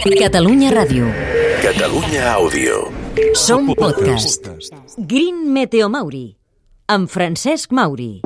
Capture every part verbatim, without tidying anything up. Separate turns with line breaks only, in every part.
Catalunya Ràdio.
Catalunya Àudio.
Som podcast. Green Meteo Mauri, amb Francesc Mauri.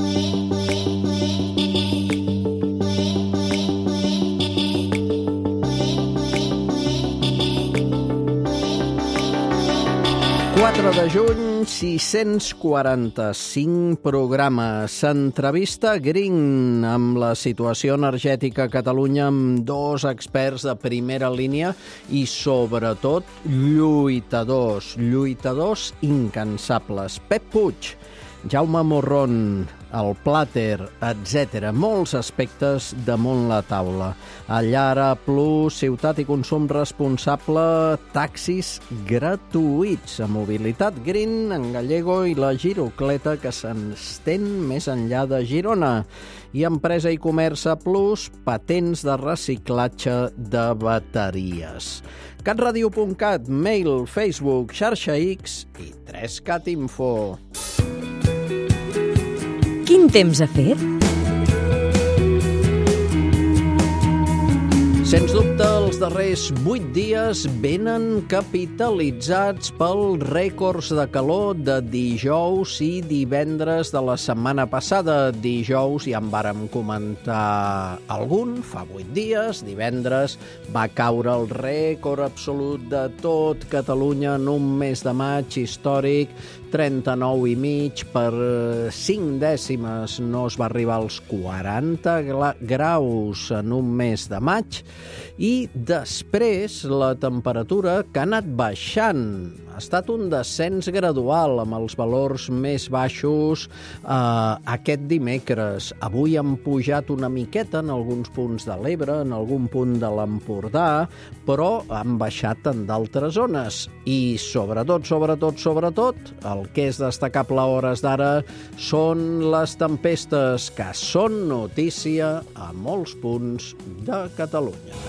quatre de juny, sis-cents quaranta-cinc programes. S'entrevista Green amb la situació energètica a Catalunya amb dos experts de primera línia i, sobretot, lluitadors, lluitadors incansables. Pep Puig, Jaume Morron, el Plàter, etcètera. Molts aspectes damunt la taula. Allara Plus, ciutat i consum responsable, taxis gratuïts, a mobilitat green en Gallego i la Girocleta, que s'estén més enllà de Girona. I Empresa i Comerç Plus, patents de reciclatge de bateries. catradio punt cat, mail, Facebook, xarxa X i tres cat info.
Quin temps ha fet?
Sens dubte, els darrers vuit dies venen capitalitzats pels rècords de calor de dijous i divendres de la setmana passada. Dijous ja en vàrem comentar algun, fa vuit dies. Divendres va caure el rècord absolut de tot Catalunya en un mes de maig històric, trenta-nou i mig, per cinc dècimes no es va arribar als quaranta graus en un mes de maig, i després la temperatura, que ha anat baixant, ha estat un descens gradual amb els valors més baixos eh, aquest dimecres. Avui han pujat una miqueta en alguns punts de l'Ebre, en algun punt de l'Empordà, però han baixat en d'altres zones. I sobretot, sobretot, sobretot, el que és destacable a hores d'ara són les tempestes, que són notícia a molts punts de Catalunya.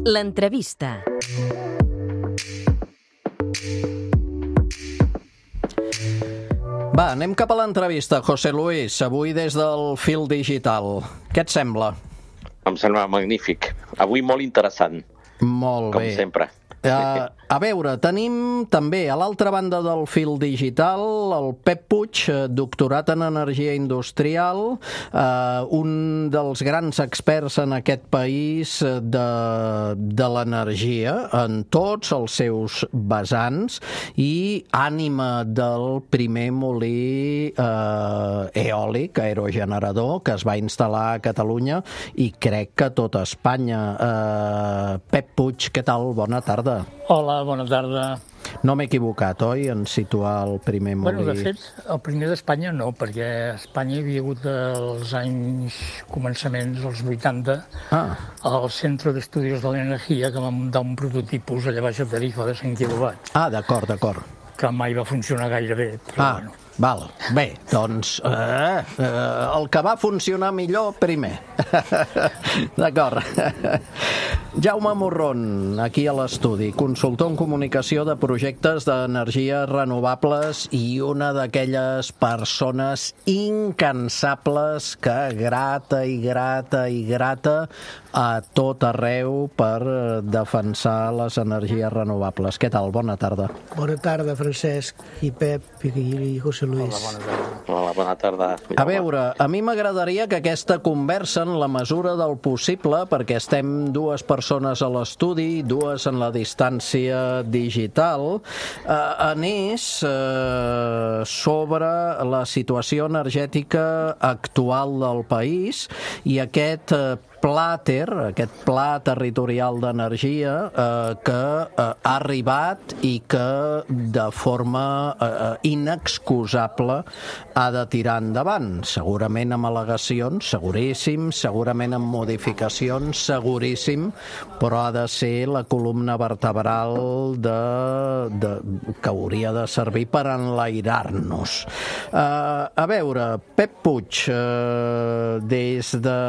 L'entrevista.
Va, anem cap a l'entrevista, José Luis, avui des del Fil Digital. Què et sembla?
Em sembla magnífic. Avui molt interessant.
Molt
com
bé.
Com sempre.
Uh, a veure, tenim també a l'altra banda del Fil Digital el Pep Puig, doctorat en energia industrial, uh, un dels grans experts en aquest país de, de l'energia, en tots els seus vessants, i ànima del primer molí uh, eòlic, aerogenerador, que es va instal·lar a Catalunya i crec que a tot Espanya. Uh, Pep Puig, què tal? Bona tarda.
Hola, bona tarda.
No m'he equivocat, oi, en situar el primer molí?
Bueno, de fet, el primer d'Espanya no, perquè a Espanya hi havia hagut els anys començaments, els vuitanta, ah. al Centre d'Estudis de l'Energia, que va muntar un prototipus allà baix a Tarifa de cent quilowatts.
Ah, d'acord, d'acord.
Que mai va funcionar gaire bé, però
ah.
bueno.
Val. Bé, doncs eh, eh, el que va funcionar millor primer. D'acord. Jaume Morron, aquí a l'estudi, consultor en comunicació de projectes d'energies renovables i una d'aquelles persones incansables que grata i grata i grata a tot arreu per defensar les energies renovables. Què tal? Bona tarda.
Bona tarda, Francesc i Pep i José Luis.
Hola, bona tarda. Hola, bona tarda.
A veure, a mi m'agradaria que aquesta conversa, en la mesura del possible, perquè estem dues persones a l'estudi, dues en la distància digital, eh, anés eh, sobre la situació energètica actual del país i aquest eh, Plàter, aquest pla territorial d'energia eh, que eh, ha arribat i que de forma eh, inexcusable ha de tirar endavant. Segurament amb al·legacions, seguríssim, segurament amb modificacions, seguríssim, però ha de ser la columna vertebral de, de, que hauria de servir per enlairar-nos. Eh, a veure, Pep Puig, eh, des de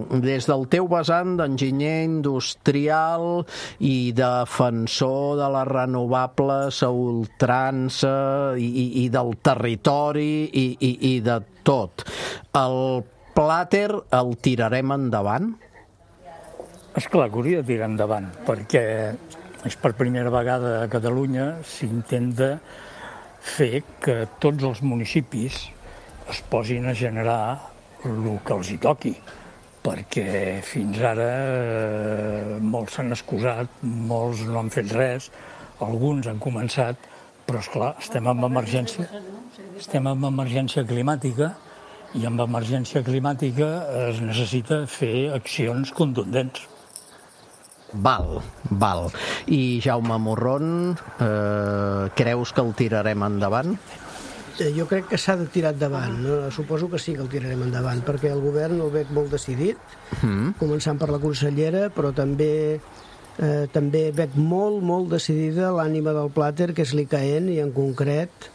des del teu vessant d'enginyer industrial i defensor de les renovables a ultrança i, i, i del territori i, i, i de tot, el plàter el tirarem endavant?
Esclar que hauria de tirar endavant, perquè és per primera vegada a Catalunya s'intenta fer que tots els municipis es posin a generar el que els hi toqui, perquè fins ara eh, molts s'han excusat, molts no han fet res, alguns han començat, però esclar, estem en emergència, estem en emergència climàtica i amb emergència climàtica es necessita fer accions contundents.
Val, val. I Jaume Morron, eh, creus que el tirarem endavant?
Jo crec que s'ha de tirar endavant. No? Suposo que sí que el tirarem endavant, perquè el govern el veig molt decidit, mm. començant per la consellera, però també eh, també veig molt, molt decidida l'ànima del plàter, que és l'I C A E N, i en concret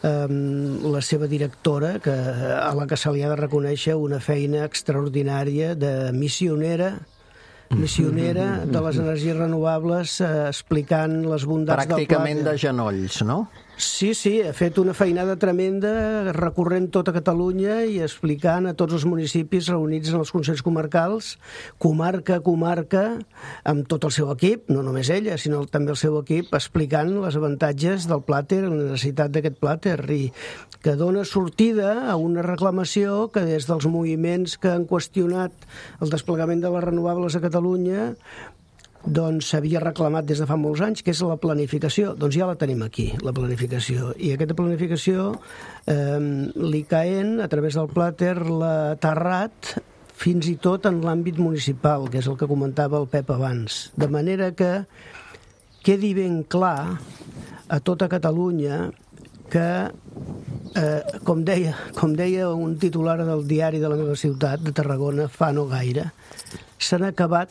eh, la seva directora, que, a la que se li ha de reconèixer una feina extraordinària de missionera, missionera de les energies renovables, eh, explicant les bondats del plàter.
Pràcticament de genolls, no?
Sí, sí, ha fet una feinada tremenda recorrent tota Catalunya i explicant a tots els municipis reunits en els consells comarcals, comarca a comarca, amb tot el seu equip, no només ella, sinó també el seu equip, explicant els avantatges del plàter, la necessitat d'aquest plàter, i que dona sortida a una reclamació que des dels moviments que han qüestionat el desplegament de les renovables a Catalunya doncs s'havia reclamat des de fa molts anys, que és la planificació. Doncs ja la tenim aquí, la planificació. I aquesta planificació, eh, l'I C A E N, a través del plàter, l'ha aterrat fins i tot en l'àmbit municipal, que és el que comentava el Pep abans. De manera que quedi ben clar a tota Catalunya que, eh, com deia, com deia un titular del diari de la meva ciutat, de Tarragona, fa no gaire, s'han acabat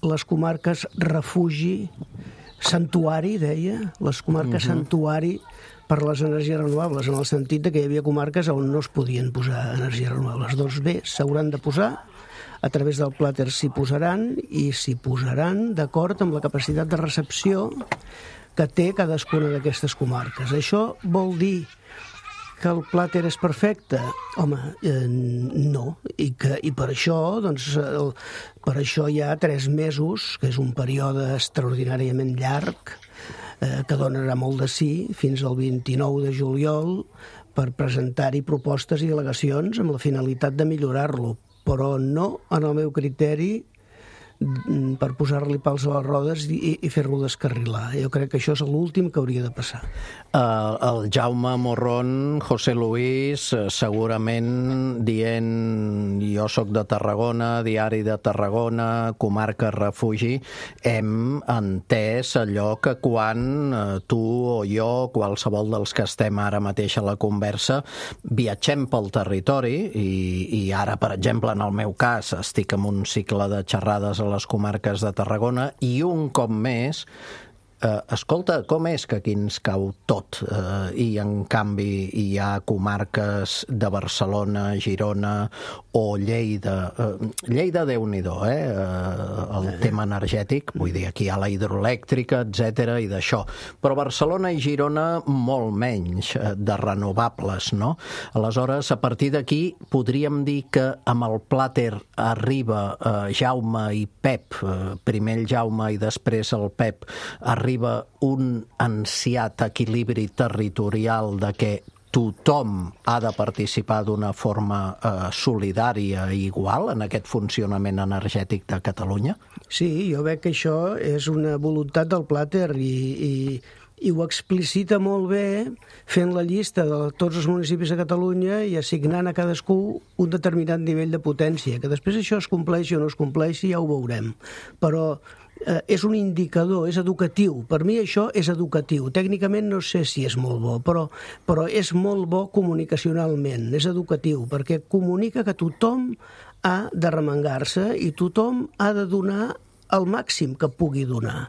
les comarques refugi, santuari, deia, les comarques uh-huh. santuari per les energies renovables, en el sentit de que hi havia comarques on no es podien posar energies renovables. Doncs bé, s'hauran de posar, a través del plàter s'hi posaran, i s'hi posaran d'acord amb la capacitat de recepció que té cadascuna d'aquestes comarques. Això vol dir que el plàter és perfecte? Home, eh, no. I, que, i per això, doncs, el, per això hi ha tres mesos, que és un període extraordinàriament llarg, eh, que donarà molt de sí, fins al vint-i-nou de juliol, per presentar-hi propostes i al·legacions amb la finalitat de millorar-lo, però no, en el meu criteri, per posar-li pals a les rodes i, i fer-lo descarrilar. Jo crec que això és l'últim que hauria de passar.
Uh, el Jaume Morron, José Luis, segurament dient jo sóc de Tarragona, diari de Tarragona, comarca refugi, hem entès allò que quan uh, tu o jo, qualsevol dels que estem ara mateix a la conversa, viatgem pel territori i, i ara, per exemple, en el meu cas, estic en un cicle de xerrades a les comarques de Tarragona i un cop més eh, escolta, com és que aquí ens cau tot eh, i en canvi hi ha comarques de Barcelona, Girona o Lleida. Eh, Lleida, Déu-n'hi-do, eh? eh? El tema energètic, vull dir, aquí hi ha la hidroelèctrica, etcètera, i d'això. Però Barcelona i Girona molt menys eh, de renovables, no? Aleshores, a partir d'aquí podríem dir que amb el plàter arriba eh, Jaume i Pep, eh, primer el Jaume i després el Pep, arriba un ansiat equilibri territorial de que tothom ha de participar d'una forma eh, solidària i igual en aquest funcionament energètic de Catalunya?
Sí, jo veig que això és una voluntat del plàter i, i, i ho explicita molt bé fent la llista de tots els municipis de Catalunya i assignant a cadascú un determinat nivell de potència. Que després això es compleixi o no es compleixi ja ho veurem. Però eh, és un indicador, és educatiu. Per mi això és educatiu. Tècnicament no sé si és molt bo, però, però és molt bo comunicacionalment, és educatiu, perquè comunica que tothom ha de remengar-se i tothom ha de donar el màxim que pugui donar.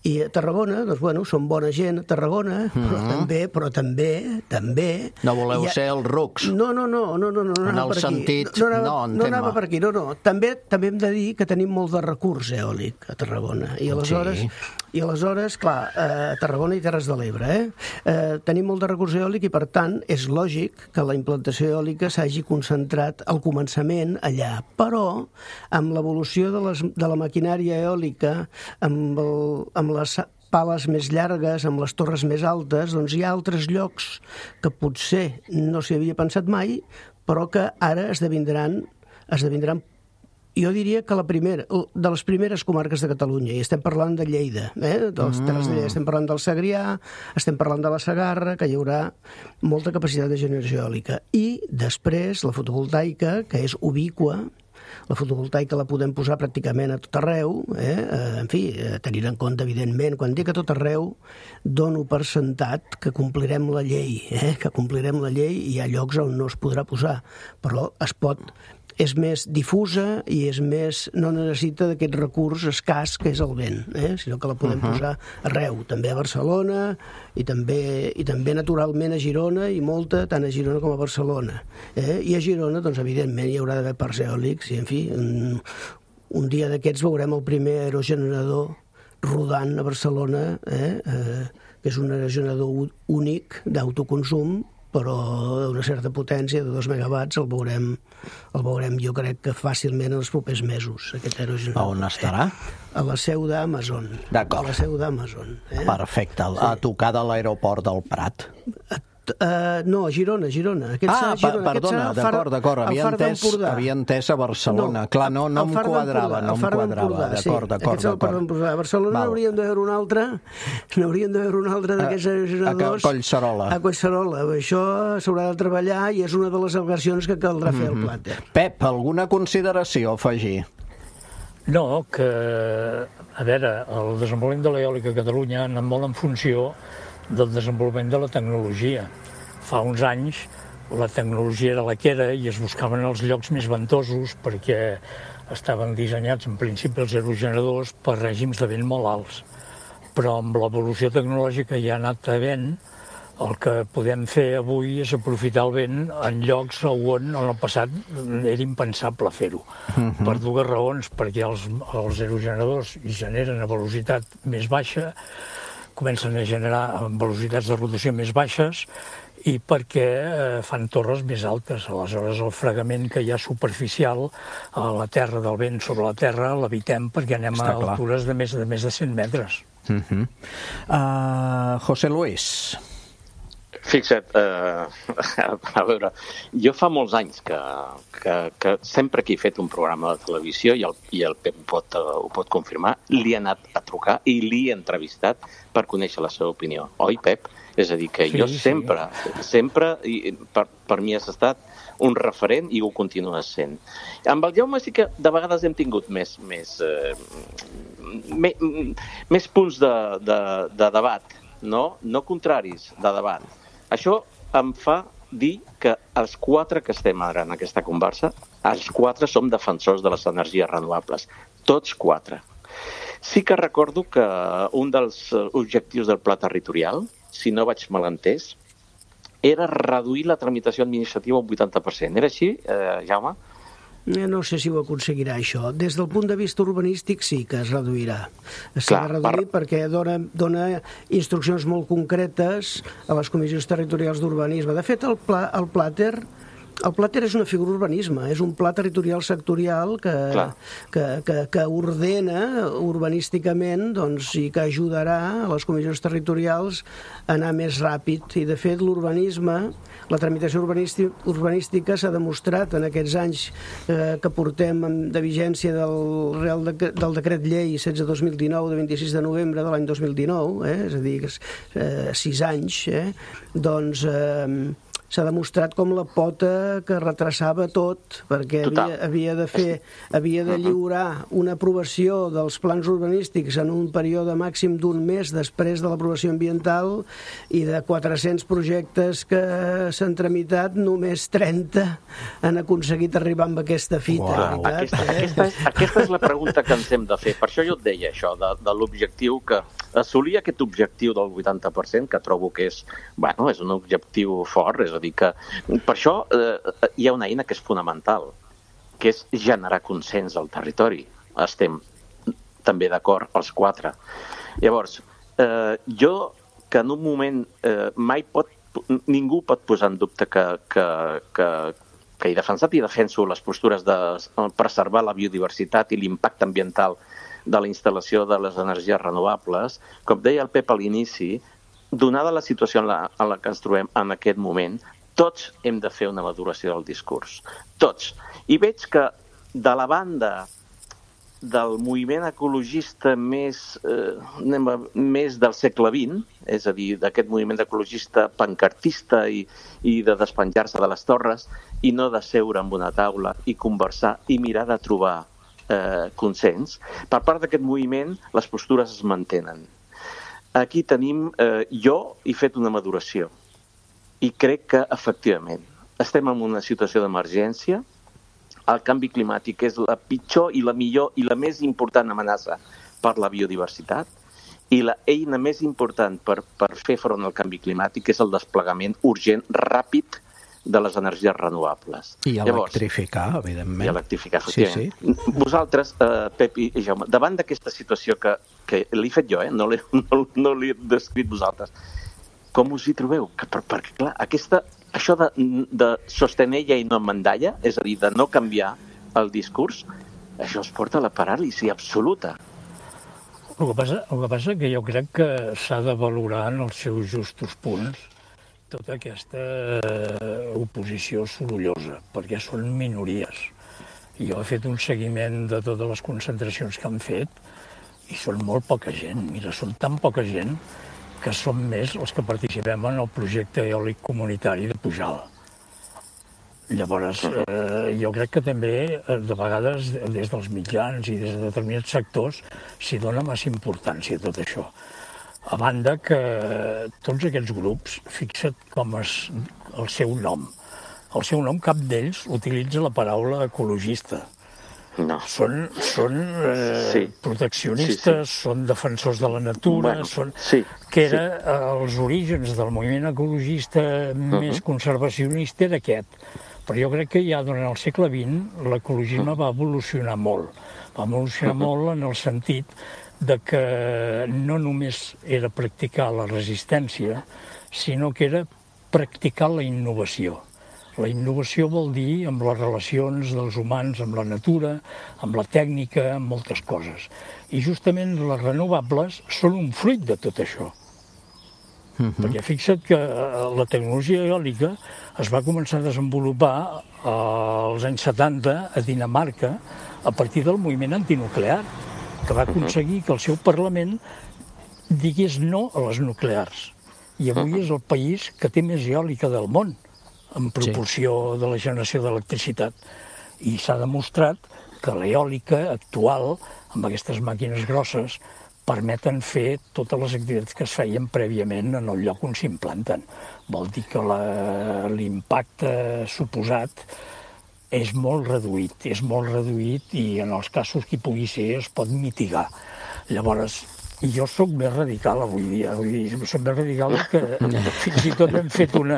I a Tarragona, doncs, bueno, són bona gent a Tarragona, mm-hmm. però també, però també, també...
No voleu
ha...
ser els rucs?
No, no, no, no, no, no, no
en el sentit...
No, no,
no,
no, no anava per aquí, no, no. També, també hem de dir que tenim molt de recurs eòlic a Tarragona. I aleshores, sí. i aleshores clar, a Tarragona i Terres de l'Ebre, eh? eh? Tenim molt de recurs eòlic i, per tant, és lògic que la implantació eòlica s'hagi concentrat al començament allà. Però, amb l'evolució de, les, de la maquinària eòlica, amb, el, amb les pales més llargues, amb les torres més altes, doncs hi ha altres llocs que potser no s'hi havia pensat mai, però que ara esdevindran, esdevindran jo diria que la primera, de les primeres comarques de Catalunya, i estem parlant de Lleida, eh? de les Terres de Lleida, estem parlant del Segrià, estem parlant de la Segarra, que hi haurà molta capacitat de generació eòlica. I després la fotovoltaica, que és ubicua, la fotovoltaica la podem posar pràcticament a tot arreu, eh? En fi, tenint en compte, evidentment, quan dic a tot arreu, dono per sentat que complirem la llei, eh? que complirem la llei i hi ha llocs on no es podrà posar, però es pot... és més difusa i és més, no necessita d'aquest recurs escàs que és el vent, eh? sinó que la podem uh-huh. posar arreu, també a Barcelona i també, i també naturalment a Girona i molta, tant a Girona com a Barcelona. Eh? I a Girona, doncs, evidentment, hi haurà d'haver parcs eòlics i, en fi, un, un dia d'aquests veurem el primer aerogenerador rodant a Barcelona, eh? Eh, que és un aerogenerador únic d'autoconsum, però d'una certa potència de dos megawatts el veurem, el veurem jo crec que fàcilment en els propers mesos, aquest aerogenerador.
On estarà?
A la seu d'Amazon.
D'acord.
A la seu d'Amazon. Eh?
Perfecte, a tocar de l'aeroport del Prat.
Uh, no, a Girona, Girona. Aquest
ah,
Girona.
perdona, d'acord, d'acord. Havia entès, havia entès a Barcelona. No, Clar, no, no em quadrava, no em quadrava. D'acord, d'acord, d'acord.
A Barcelona n'hauríem de veure un altre, n'hauríem de veure un altre d'aquests aerogeneradors.
A Collserola.
A Collserola. Això s'haurà de treballar i és una de les al·legacions que caldrà mm-hmm. fer al Plàter.
Pep, alguna consideració a afegir?
No, que, a veure, el desenvolupament de l'eòlica a Catalunya ha anat molt en funció del desenvolupament de la tecnologia. Fa uns anys la tecnologia era la que era i es buscaven els llocs més ventosos perquè estaven dissenyats en principi els aerogeneradors per règims de vent molt alts. Però amb l'evolució tecnològica ja ha anat havent, el que podem fer avui és aprofitar el vent en llocs on en el passat era impensable fer-ho. Uh-huh. Per dues raons, perquè els, els aerogeneradors generen a velocitat més baixa, comencen a generar velocitats de rotació més baixes i perquè eh, fan torres més altes. Aleshores, el fregament que hi ha superficial a la terra, del vent sobre la terra, l'evitem perquè anem Està a clar. altures de més de, més de cent metres.
Uh-huh. uh, José Luis.
Fixa't, eh, a veure, jo fa molts anys que, que, que sempre que he fet un programa de televisió, i el, i el Pep pot, uh, ho pot confirmar, li he anat a trucar i li he entrevistat per conèixer la seva opinió. Oi, Pep? És a dir, que sí, jo sempre, sí. sempre, i per, per mi has estat un referent i ho continues sent. Amb el Jaume sí que de vegades hem tingut més, més, eh, me, més punts de, de, de debat, no? No contraris, de debat. Això em fa dir que els quatre que estem ara en aquesta conversa, els quatre som defensors de les energies renovables. Tots quatre. Sí que recordo que un dels objectius del pla territorial, si no vaig mal entès, era reduir la tramitació administrativa un vuitanta per cent. Era així, eh, Jaume?
No sé si ho aconseguirà, això. Des del punt de vista urbanístic sí que es reduirà. S'ha de reduir per... perquè dona, dona instruccions molt concretes a les comissions territorials d'urbanisme. De fet, el, pla, el Plàter... El Plàter és una figura urbanisme, és un pla territorial sectorial que, que, que, que ordena urbanísticament, doncs, i que ajudarà a les comissions territorials a anar més ràpid. I, de fet, l'urbanisme, la tramitació urbanística s'ha demostrat en aquests anys eh, que portem de vigència del Real de, del Decret Llei setze dos mil dinou de vint-i-sis de novembre de l'any dos mil dinou, eh, és a dir, eh, sis anys, eh, doncs... Eh, s'ha demostrat com la pota que retrasava tot, perquè havia, havia de fer, havia de lliurar una aprovació dels plans urbanístics en un període màxim d'un mes després de l'aprovació ambiental i de quatre-cents projectes que s'han tramitat, només trenta han aconseguit arribar amb aquesta fita.
Wow. Aquesta, aquesta, és, aquesta és la pregunta que ens hem de fer. Per això jo et deia això, de, de l'objectiu que assolir aquest objectiu del vuitanta per cent, que trobo que és, bueno, és un objectiu fort, és a dir, que per això eh, hi ha una eina que és fonamental, que és generar consens al territori. Estem també d'acord els quatre. Llavors, eh, jo que en un moment eh, mai pot, ningú pot posar en dubte que, que, que, que he defensat i defenso les postures de preservar la biodiversitat i l'impacte ambiental de la instal·lació de les energies renovables. Com deia el Pep a l'inici, donada la situació en la, en la que ens trobem en aquest moment, tots hem de fer una maduració del discurs. Tots. I veig que de la banda del moviment ecologista més, eh, més del segle vint, és a dir, d'aquest moviment ecologista pancartista i, i de despenjar-se de les torres i no de seure en una taula i conversar i mirar de trobar eh, consens, per part d'aquest moviment les postures es mantenen. Aquí tenim, eh, jo he fet una maduració i crec que efectivament estem en una situació d'emergència. El canvi climàtic és la pitjor i la millor i la més important amenaça per la biodiversitat i la eina més important per, per fer front al canvi climàtic és el desplegament urgent, ràpid, de les energies renovables.
I electrificar, Llavors, evidentment.
I electrificar, efectivament.
Sí, sí.
Vosaltres, eh, Pep i Jaume, davant d'aquesta situació que, que l'he fet jo, eh, no l'he no, no l'he descrit vosaltres, com us hi trobeu? Que, per, perquè, clar, aquesta, això de, de sostenella i no mandalla, és a dir, de no canviar el discurs, això es porta a la paràlisi absoluta.
El que passa, el que passa que jo crec que s'ha de valorar en els seus justos punts tota aquesta oposició sorollosa, perquè són minories. Jo he fet un seguiment de totes les concentracions que han fet i són molt poca gent. Mira, són tan poca gent que som més els que participem en el projecte eòlic comunitari de Pujalt. Llavors, eh, jo crec que també, de vegades, des dels mitjans i des de determinats sectors, s'hi dona massa importància a tot això. A banda que tots aquests grups, fixa't com és el seu nom. El seu nom, cap d'ells utilitza la paraula ecologista.
No.
Són, són eh,
sí.
proteccionistes, sí, sí. Són defensors de la natura,
bueno,
són,
sí,
que era
sí.
eh, els orígens del moviment ecologista uh-huh. més conservacionista era aquest. Però jo crec que ja durant el segle vint l'ecologisme uh-huh. va evolucionar molt. Va evolucionar uh-huh. molt en el sentit de que no només era practicar la resistència, sinó que era practicar la innovació. La innovació vol dir amb les relacions dels humans amb la natura, amb la tècnica, amb moltes coses. I justament les renovables són un fruit de tot això. Uh-huh. Perquè fixa't que la tecnologia eòlica es va començar a desenvolupar als anys setanta a Dinamarca a partir del moviment antinuclear, que va aconseguir que el seu Parlament digués no a les nuclears. I avui és el país que té més eòlica del món, en proporció sí. de la generació d'electricitat. I s'ha demostrat que l'eòlica actual, amb aquestes màquines grosses, permeten fer totes les activitats que es feien prèviament en el lloc on s'implanten. Vol dir que la, l'impacte suposat és molt reduït, és molt reduït i en els casos que hi pugui ser es pot mitigar. Llavors, jo sóc més radical avui dia, vull dir, sóc més radical que fins i tot hem fet una,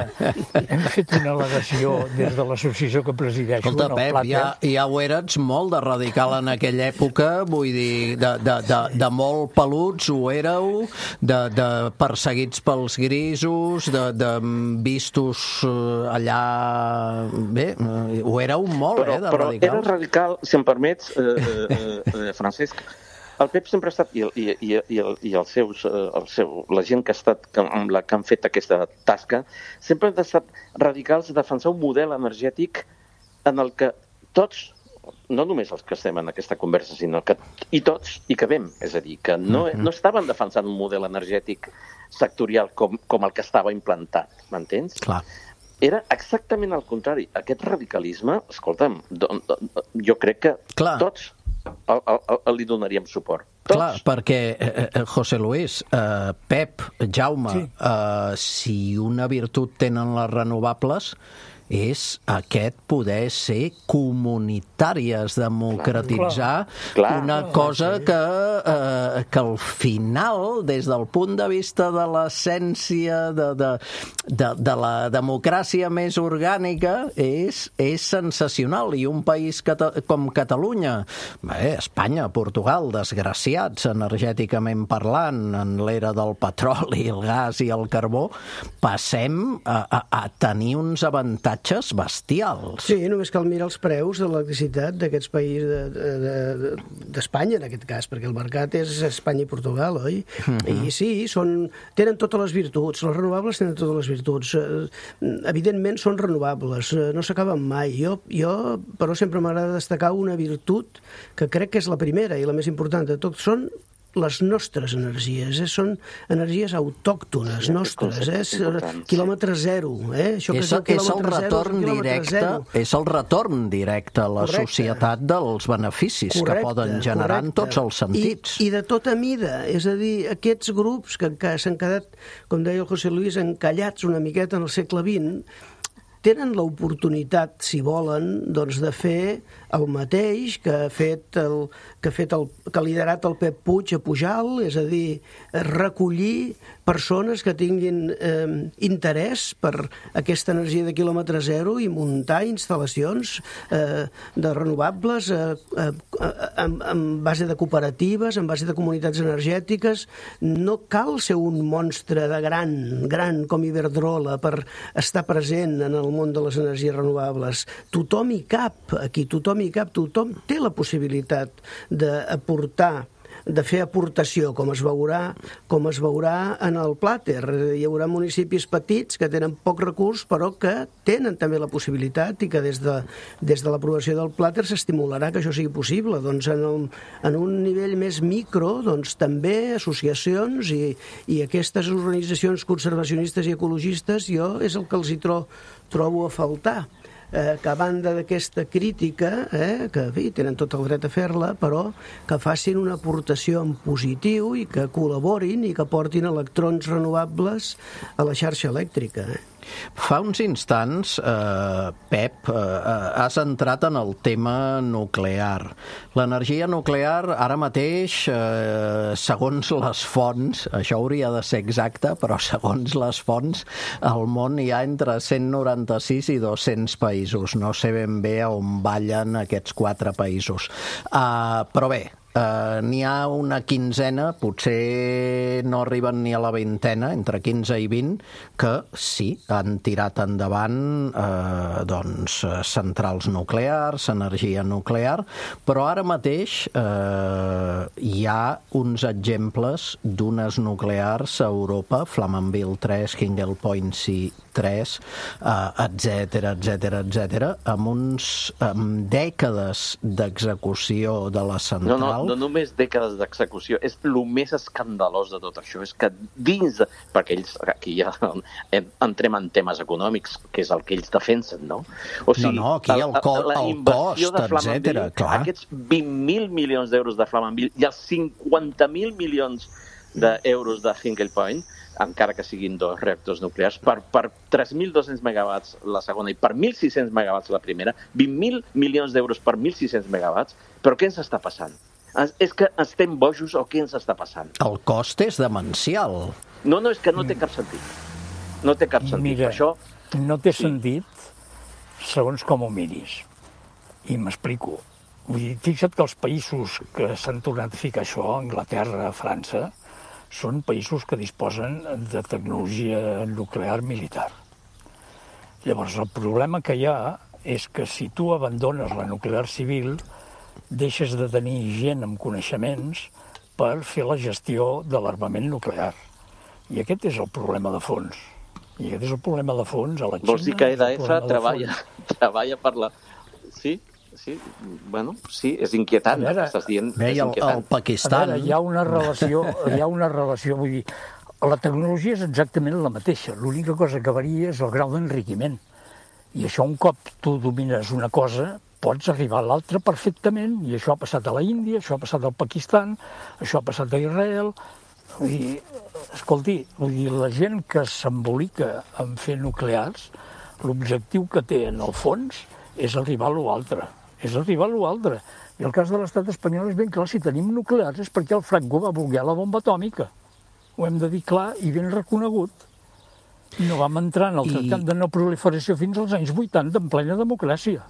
hem fet una al·legació des de l'associació que presideixo.
Escolta, Pep, ja, ja ho eres molt de radical en aquella època, vull dir, de, de, de, de molt peluts ho éreu, de, de perseguits pels grisos, de, de vistos allà... Bé, ho éreu molt,
però,
eh, de
però
radicals.
Però era radical, si em permets, eh, eh, eh, Francesc. El Pep sempre ha estat, i, i, i, i, el, i els seus, el seu, la gent que ha estat, amb la que han fet aquesta tasca, sempre han estat radicals a defensar un model energètic en el que tots, no només els que estem en aquesta conversa, sinó que i tots hi cabem. És a dir, que no, no estaven defensant un model energètic sectorial com, com el que estava implantat, m'entens?
Clar.
Era exactament el contrari. Aquest radicalisme, escolta'm, do, do, jo crec que Clar. tots el, el, el, li donaríem suport. Tots.
Clar, perquè, eh, José Luis, eh, Pep, Jaume, sí. eh, si una virtut tenen les renovables és aquest poder ser comunitari, es democratitzar
clar, clar,
una
clar,
cosa
sí.
que, eh, que al final, des del punt de vista de l'essència de, de, de, de la democràcia més orgànica, és, és sensacional. I un país cata, com Catalunya, bé, Espanya, Portugal, desgraciats energèticament parlant, en l'era del petroli, el gas i el carbó, passem a, a, a tenir uns avantatges bestials.
Sí, només cal mirar els preus de l'electricitat d'aquests països d'Espanya, de, de, en aquest cas, perquè el mercat és Espanya i Portugal, oi? Uh-huh. I sí, són, tenen totes les virtuts, les renovables tenen totes les virtuts. Evidentment són renovables, no s'acaben mai. Jo, jo, però sempre m'agrada destacar una virtut que crec que és la primera i la més important de tot. Són les nostres energies, eh? Són energies autòctones, sí, nostres, eh? Quilòmetre zero. Eh? Això
és,
que és el,
és el retorn
zero,
directe,
zero.
és el retorn directe a la correcte. Societat dels beneficis correcte, que poden generar correcte. En tots els sentits.
I, I de tota mida, és a dir, aquests grups que, que s'han quedat, com deia el José Luis, encallats una miqueta en el segle vint, tenen l'oportunitat, si volen, doncs, de fer el mateix que ha fet el, que ha fet el, que ha liderat el Pep Puig a Pujal, és a dir, recollir persones que tinguin eh, interès per aquesta energia de quilòmetre zero i muntar instal·lacions eh, de renovables eh, eh, en, en base de cooperatives, en base de comunitats energètiques. No cal ser un monstre de gran, gran com Iberdrola per estar present en el món de les energies renovables. Tothom hi cap, aquí tothom hi cap, tothom té la possibilitat d'aportar, de fer aportació, com es veurà, com es veurà en el Plàter. Hi haurà municipis petits que tenen poc recurs, però que tenen també la possibilitat i que des de, des de l'aprovació del Plàter s'estimularà que això sigui possible. Doncs en, el, en un nivell més micro, doncs també associacions i, i aquestes organitzacions conservacionistes i ecologistes, jo és el que els hi tro, trobo a faltar. Eh, que a banda d'aquesta crítica, eh, que bé, tenen tot el dret a fer-la, però que facin una aportació en positiu i que col·laborin i que portin electrons renovables a la xarxa elèctrica. Eh?
Fa uns instants, eh, Pep, eh, has entrat en el tema nuclear. L'energia nuclear, ara mateix, eh, segons les fonts, això hauria de ser exacte, però segons les fonts, al món hi ha entre cent noranta-sis i dos-cents països. No sé ben bé on ballen aquests quatre països. Uh, però bé, Uh, n'hi ha una quinzena, potser no arriben ni a la vintena, entre quinze i vint, que sí, han tirat endavant uh, doncs, centrals nuclears, energia nuclear, però ara mateix uh, hi ha uns exemples d'unes nuclears a Europa, Flamanville tres, Hinkley Point C tres, etcètera, etcètera, etcètera, amb uns amb dècades d'execució de la central.
No, no, no només dècades d'execució, és el més escandalós de tot això, és que dins, de, perquè ells aquí ja entrem en temes econòmics, que és el que ells defensen, no? O sigui,
no, no, aquí el, co
la
el cost, etcètera, clar.
Aquests vint mil milions d'euros de Flamanville i els cinquanta mil milions d'euros de Hinkley Point, encara que siguin dos reactors nuclears, per, per tres mil dos-cents megawatts la segona i per mil sis-cents megawatts la primera, vint mil milions d'euros per mil sis-cents megawatts, però què ens està passant? És que estem bojos o què ens està passant?
El cost és demencial.
No, no, és que no té cap sentit. No té cap sentit.
Mira,
per això...
no té sí. sentit segons com ho miris. I m'explico. Vull dir, fixa't que els països que s'han tornat a ficar això, Anglaterra, França, són països que disposen de tecnologia nuclear militar. Llavors, el problema que hi ha és que si tu abandones la nuclear civil, deixes de tenir gent amb coneixements per fer la gestió de l'armament nuclear. I aquest és el problema de fons. I aquest és el problema de fons a la Xina.
Vols dir que E D F treballa, treballa per la... Sí? Sí, bueno, sí, és inquietant.
Veure,
estàs dient,
bé,
és
el,
inquietant.
el Pakistan...
A veure, hi ha una relació, hi ha una relació, vull dir, la tecnologia és exactament la mateixa, l'única cosa que varia és el grau d'enriquiment. I això, un cop tu domines una cosa, pots arribar a l'altra perfectament, i això ha passat a la Índia, això ha passat al Pakistan, això ha passat a Israel. Vull dir, escolti, vull dir, la gent que s'embolica en fer nuclears, L'objectiu que té en el fons és arribar a l'altre, és arribar a l'altre. I el cas de l'estat espanyol és ben clar, si tenim nuclears és perquè el Franco va voler la bomba atòmica. Ho hem de dir clar i ben reconegut. No vam entrar en el tractat I... de no proliferació fins als anys vuitanta, en plena democràcia.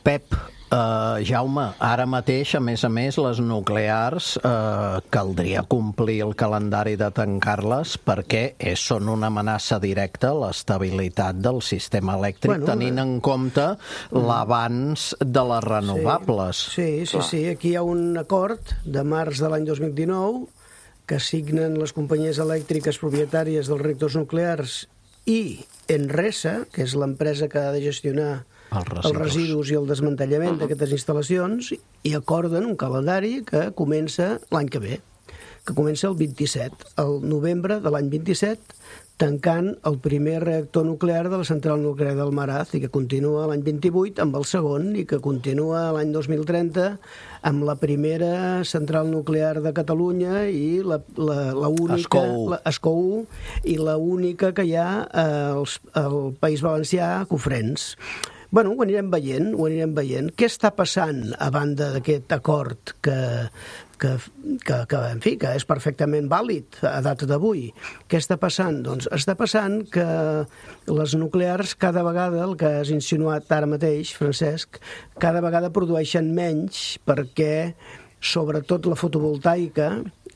Pep, uh, Jaume, ara mateix, a més a més, les nuclears uh, caldria complir el calendari de tancar-les perquè és, són una amenaça directa a l'estabilitat del sistema elèctric, bueno, tenint en compte l'avanç de les renovables.
Sí, sí, sí, sí. Aquí hi ha un acord de març de l'any dos mil dinou que signen les companyies elèctriques propietàries dels reactors nuclears i Enresa, que és l'empresa que ha de gestionar els residus, els residus i el desmantellament uh-huh. d'aquestes instal·lacions, i acorden un calendari que comença l'any que ve, que comença el vint-i-set, el novembre de l'any vint-i-set, tancant el primer reactor nuclear de la central nuclear del Maraz i que continua l'any vint-i-vuit amb el segon i que continua l'any dos mil trenta amb la primera central nuclear de Catalunya i la, la, la única, la, Escou, i la única que hi ha al eh, País Valencià, Cofrents. Bueno, ho anirem veient, ho anirem veient. Què està passant a banda d'aquest acord que, que, que, que, en fi, que és perfectament vàlid a data d'avui? Què està passant? Doncs està passant que les nuclears cada vegada, el que has insinuat ara mateix, Francesc, cada vegada produeixen menys perquè, sobretot la fotovoltaica,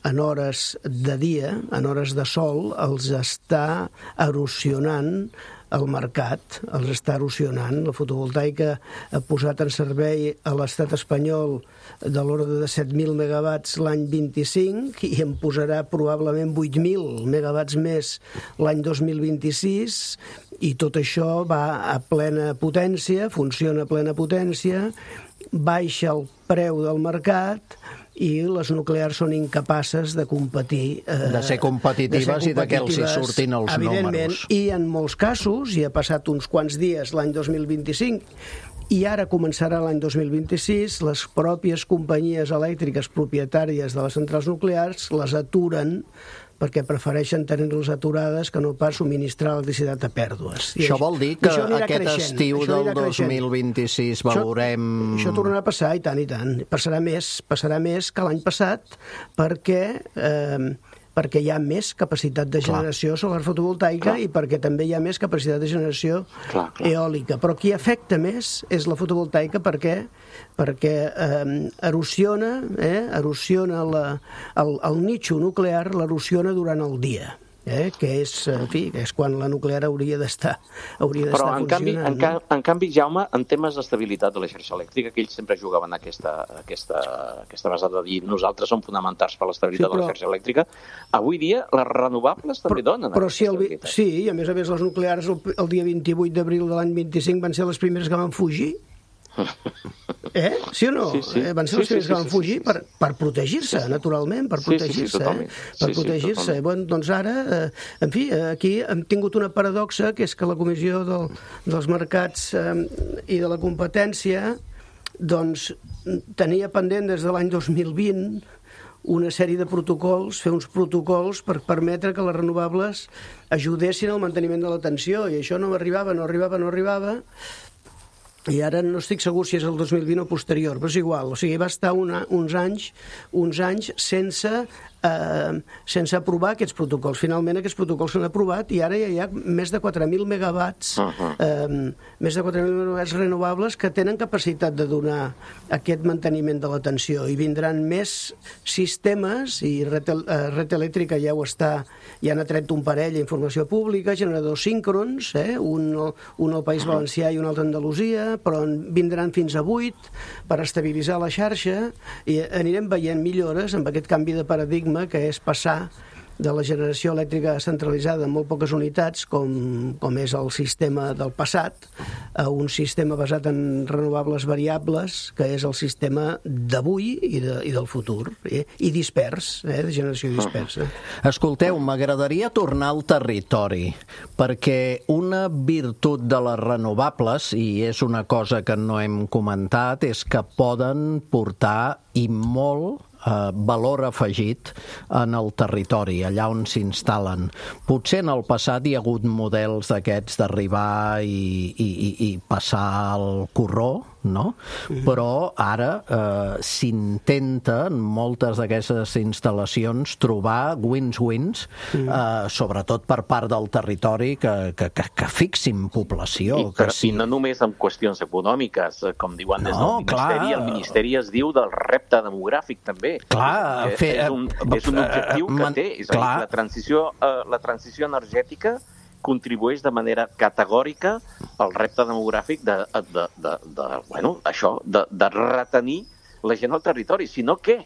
en hores de dia, en hores de sol, els està erosionant el mercat, els està erosionant. La fotovoltaica ha posat en servei a l'estat espanyol de l'ordre de set mil megawatts l'any vint-i-cinc i en posarà probablement vuit mil megawatts més l'any dos mil vint-i-sis, i tot això va a plena potència, funciona a plena potència, baixa el preu del mercat i les nuclears són incapaces de competir. Eh,
de ser competitives i de que els hi surtin els números.
I en molts casos, i ha passat uns quants dies l'any dos mil vint-i-cinc, i ara començarà l'any dos mil vint-i-sis, les pròpies companyies elèctriques propietàries de les centrals nuclears les aturen perquè prefereixen tenir-los aturades que no pas subministrar electricitat a pèrdues.
I això vol dir que aquest estiu del dos mil vint-i-sis veurem...
Això, això tornarà a passar, i tant, i tant. Passarà més, passarà més que l'any passat perquè... Eh, perquè hi ha més capacitat de generació clar. solar fotovoltaica clar. I perquè també hi ha més capacitat de generació clar, clar. eòlica. Però qui afecta més és la fotovoltaica perquè perquè eh, erosiona, eh, erosiona la, el, el nitxo nuclear, l'erosiona durant el dia. Eh, que és, en fi, que és quan la nuclear hauria d'estar hauria d'estar
Però en canvi, en, ca en canvi, Jaume, en temes d'estabilitat de la xarxa elèctrica, que ells sempre jugaven aquesta, aquesta, aquesta base de dir nosaltres som fonamentals per l'estabilitat sí, però... de la xarxa elèctrica, avui dia les renovables també però, donen
però si el, sí, i a més a més les nuclears el, el dia vint-i-vuit d'abril de l'any vint-i-cinc van ser les primeres que van fugir. Eh? Sí o no? Sí, sí. Eh, van ser els sí, primers sí, que van fugir sí, sí, per, per protegir-se, sí, sí. naturalment, per protegir-se. Sí, sí, sí, eh? Per sí, protegir-se. Sí, bueno, doncs ara, eh, en fi, aquí hem tingut una paradoxa, que és que la Comissió del, dels Mercats eh, i de la Competència doncs tenia pendent des de l'any dos mil vint una sèrie de protocols, fer uns protocols per permetre que les renovables ajudessin al manteniment de la tensió, i això no arribava, no arribava, no arribava, i ara no estic segur si és el dos mil vint o posterior, però és igual. O sigui, va estar una, uns anys uns anys sense, eh, sense aprovar aquests protocols. Finalment aquests protocols s'han aprovat i ara ja hi ha més de quatre mil megawatts, uh-huh. eh, més de quatre mil megawatts renovables que tenen capacitat de donar aquest manteniment de la tensió, i vindran més sistemes, i Red, eh, Red Elèctrica ja ho està, ja n'ha tret un parell a informació pública, generadors síncrons, eh, un, un al País Valencià i un altre a Andalusia, però en vindran fins a vuit per estabilitzar la xarxa, i anirem veient millores amb aquest canvi de paradigma que és passar de la generació elèctrica centralitzada en molt poques unitats, com, com és el sistema del passat, a un sistema basat en renovables variables, que és el sistema d'avui i, de, i del futur, eh? I dispers, eh? de generació dispersa.
Escolteu, m'agradaria tornar al territori, perquè una virtut de les renovables, i és una cosa que no hem comentat, és que poden portar i molt eh, valor afegit en el territori, allà on s'instal·len. Potser en el passat hi ha hagut models d'aquests d'arribar i, i, i, i passar el corró, no? Mm-hmm. Però ara eh, s'intenta en moltes d'aquestes instal·lacions trobar wins-wins, mm. eh, sobretot per part del territori, que, que, que, que fixin població.
I,
que
però,
sí.
I no només en qüestions econòmiques, com diuen des
no,
del Ministeri,
clar.
el Ministeri es diu del repte demogràfic també.
Clar,
és,
fer,
és, un, és un objectiu que
man,
té, és a dir, la transició, eh, la transició energètica contribueix de manera categòrica al repte demogràfic de, de, de, de, bueno, això, de, de retenir la gent al territori. Si no, què?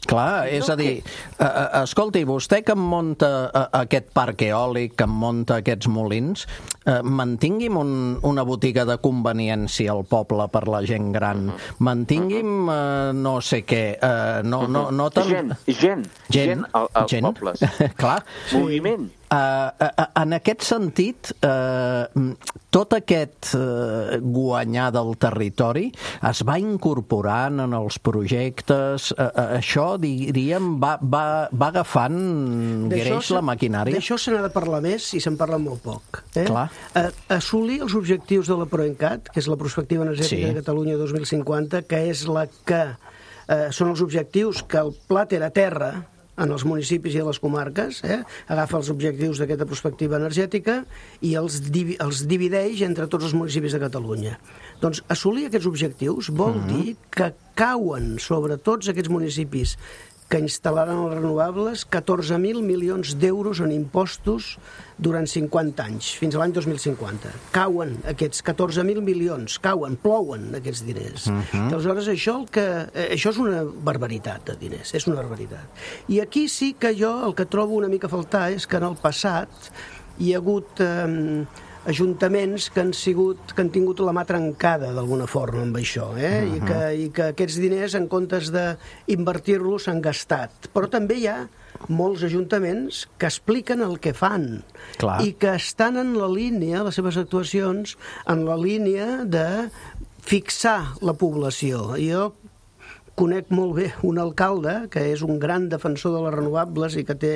Clar, és a dir, uh, uh, escolti, vostè que em munta uh, aquest parc eòlic, que em munta aquests molins, uh, mantingui'm un, una botiga de conveniència al poble per la gent gran, mantingui'm uh, no sé què, uh, no, no, no tan...
Gent, gent, gent, al, als
gent.
pobles.
Clar.
Moviment.
Uh, uh, en aquest sentit, uh, tot aquest uh, guanyar del territori es va incorporant en els projectes, uh, uh, això, diríem, va, va, va agafant greix la maquinària.
D'això se n'ha de parlar més i se'n parla molt poc. Eh?
Clar.
Uh, assolir els objectius de la PROENCAT, que és la Perspectiva Energètica sí. de Catalunya dos mil cinquanta, que és la que uh, són els objectius que el pla Terra a terra en els municipis i a les comarques, eh? agafa els objectius d'aquesta perspectiva energètica i els, divi els divideix entre tots els municipis de Catalunya. Doncs assolir aquests objectius vol uh-huh. dir que cauen sobre tots aquests municipis que instal·laran els renovables catorze mil milions d'euros en impostos durant cinquanta anys, fins a l'any dos mil cinquanta. Cauen aquests catorze mil milions, cauen, plouen aquests diners. Uh-huh. Aleshores, això, el que, eh, això és una barbaritat de diners, és una barbaritat. I aquí sí que jo el que trobo una mica a faltar és que en el passat hi ha hagut eh, ajuntaments que han, sigut, que han tingut la mà trencada d'alguna forma amb això, eh? uh-huh. I, que, i que aquests diners, en comptes d'invertir-los, s'han gastat. Però també hi ha molts ajuntaments que expliquen el que fan. Clar. I que estan en la línia, les seves actuacions, en la línia de fixar la població. Jo conec molt bé un alcalde que és un gran defensor de les renovables i que té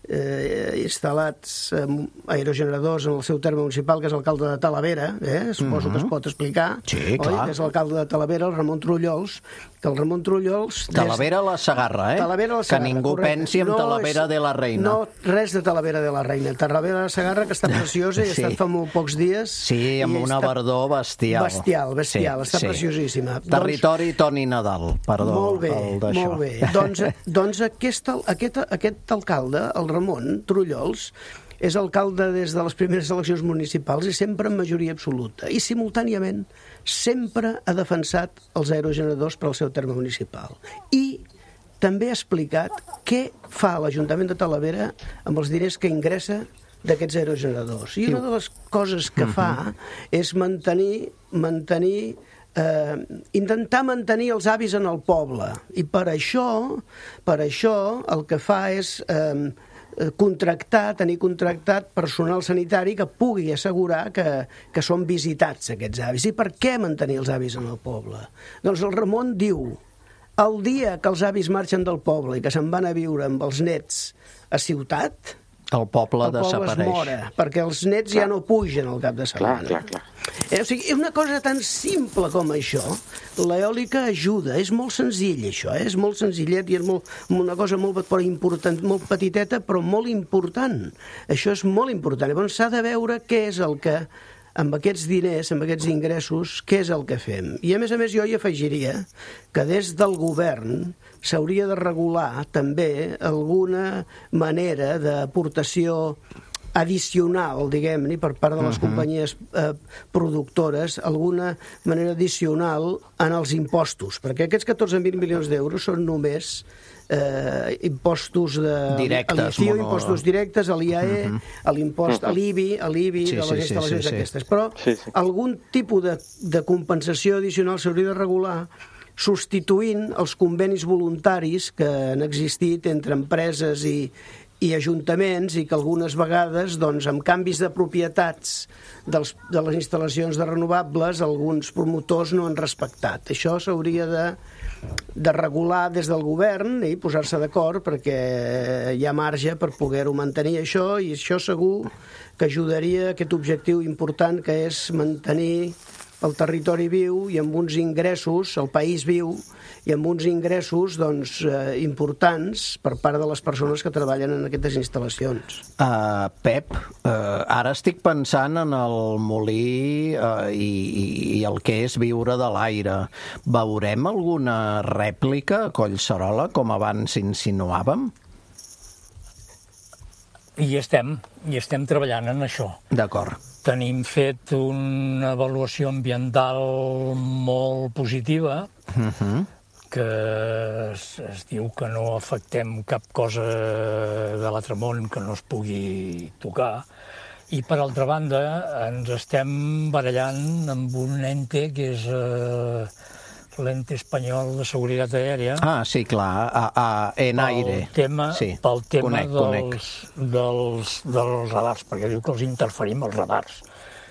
eh, instal·lats eh, aerogeneradors en el seu terme municipal, que és l'alcalde de Talavera, eh? suposo uh-huh. que es pot explicar,
sí,
oi?
Clar.
Que és l'alcalde de Talavera, el Ramon Trullols, que el Ramon Trullols...
Talavera a la Segarra, eh?
Talavera a la Segarra,
que ningú
correcte.
pensi en no Talavera és, de la Reina.
No, res de Talavera de la Reina. Talavera de la Segarra, que està preciosa i ha sí. estat fa molt pocs dies.
Sí, amb una
està...
verdor bestial.
Bestial, bestial, sí, està sí. preciosíssima.
Territori doncs... Toni Nadal, perdó.
Molt bé, molt bé. Doncs, doncs aquest, aquest, aquest alcalde, el Ramon Trullols, és alcalde des de les primeres eleccions municipals i sempre en majoria absoluta. I simultàniament sempre ha defensat els aerogeneradors per al seu terme municipal. I també ha explicat què fa l'Ajuntament de Talavera amb els diners que ingressa d'aquests aerogeneradors. I una de les coses que fa és mantenir, mantenir eh, intentar mantenir els avis en el poble. I per això, per això el que fa és eh, contractar, tenir contractat personal sanitari que pugui assegurar que, que són visitats aquests avis. I per què mantenir els avis en el poble? Doncs el Ramon diu: el dia que els avis marxen del poble i que se'n van a viure amb els nets a ciutat,
el poble,
el poble
desapareix.
es mora, perquè els nets clar. ja no pugen al cap de setmana.
Clar, clar, clar.
Eh, o sigui, una cosa tan simple com això, l'eòlica ajuda, és molt senzill això, eh? És molt senzillet i és molt, una cosa molt, però important, molt petiteta, però molt important. Això és molt important. Llavors s'ha de veure què és el que, amb aquests diners, amb aquests ingressos, què és el que fem. I a més a més jo hi afegiria que des del govern s'hauria de regular també alguna manera d'aportació addicional, diguem-ne, per part de les uh-huh. companyies eh, productores, alguna manera addicional en els impostos, perquè aquests catorze mil milions d'euros són només eh, impostos de...
directes.
Mono...
Mono...
impostos directes, a l'I A E, uh-huh. a l'impost, uh-huh. a l'I B I, a l'I B I, sí, de les sí, instal·lacions sí, sí, aquestes. Sí. Però
sí, sí.
algun tipus de, de compensació addicional s'hauria de regular substituint els convenis voluntaris que han existit entre empreses i, i ajuntaments i que algunes vegades, doncs, amb canvis de propietats dels, de les instal·lacions de renovables, alguns promotors no han respectat. Això s'hauria de de regular des del govern i posar-se d'acord perquè hi ha marge per poder-ho mantenir això, i això segur que ajudaria a aquest objectiu important que és mantenir el territori viu i amb uns ingressos, el país viu, i amb uns ingressos doncs, eh, importants per part de les persones que treballen en aquestes instal·lacions.
Uh, Pep, uh, ara estic pensant en el molí uh, i, i el que és viure de l'aire. Veurem alguna rèplica a Collserola, com abans insinuàvem?
I estem, i estem treballant en això.
D'acord.
Tenim fet una avaluació ambiental molt positiva, uh-huh. que es, es diu que no afectem cap cosa de l'altre món que no es pugui tocar. I, per altra banda, ens estem barallant amb un ente que és eh, l'ente espanyol de seguretat aèria.
Ah, sí, clar, a, a, en aire.
Pel tema,
sí.
pel tema
conec,
dels,
conec.
Dels, dels radars, perquè diu que els interferim els radars.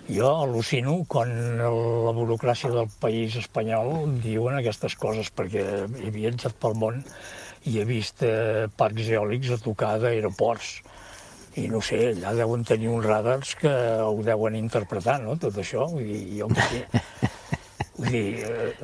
Jo al·lucino quan la burocràcia del país espanyol diuen aquestes coses, perquè he viatjat pel món i he vist eh, parcs eòlics a tocar d'aeroports. I no sé, allà deuen tenir uns radars que ho deuen interpretar, no?, tot això. Vull dir, jo què sé. Vull dir, eh,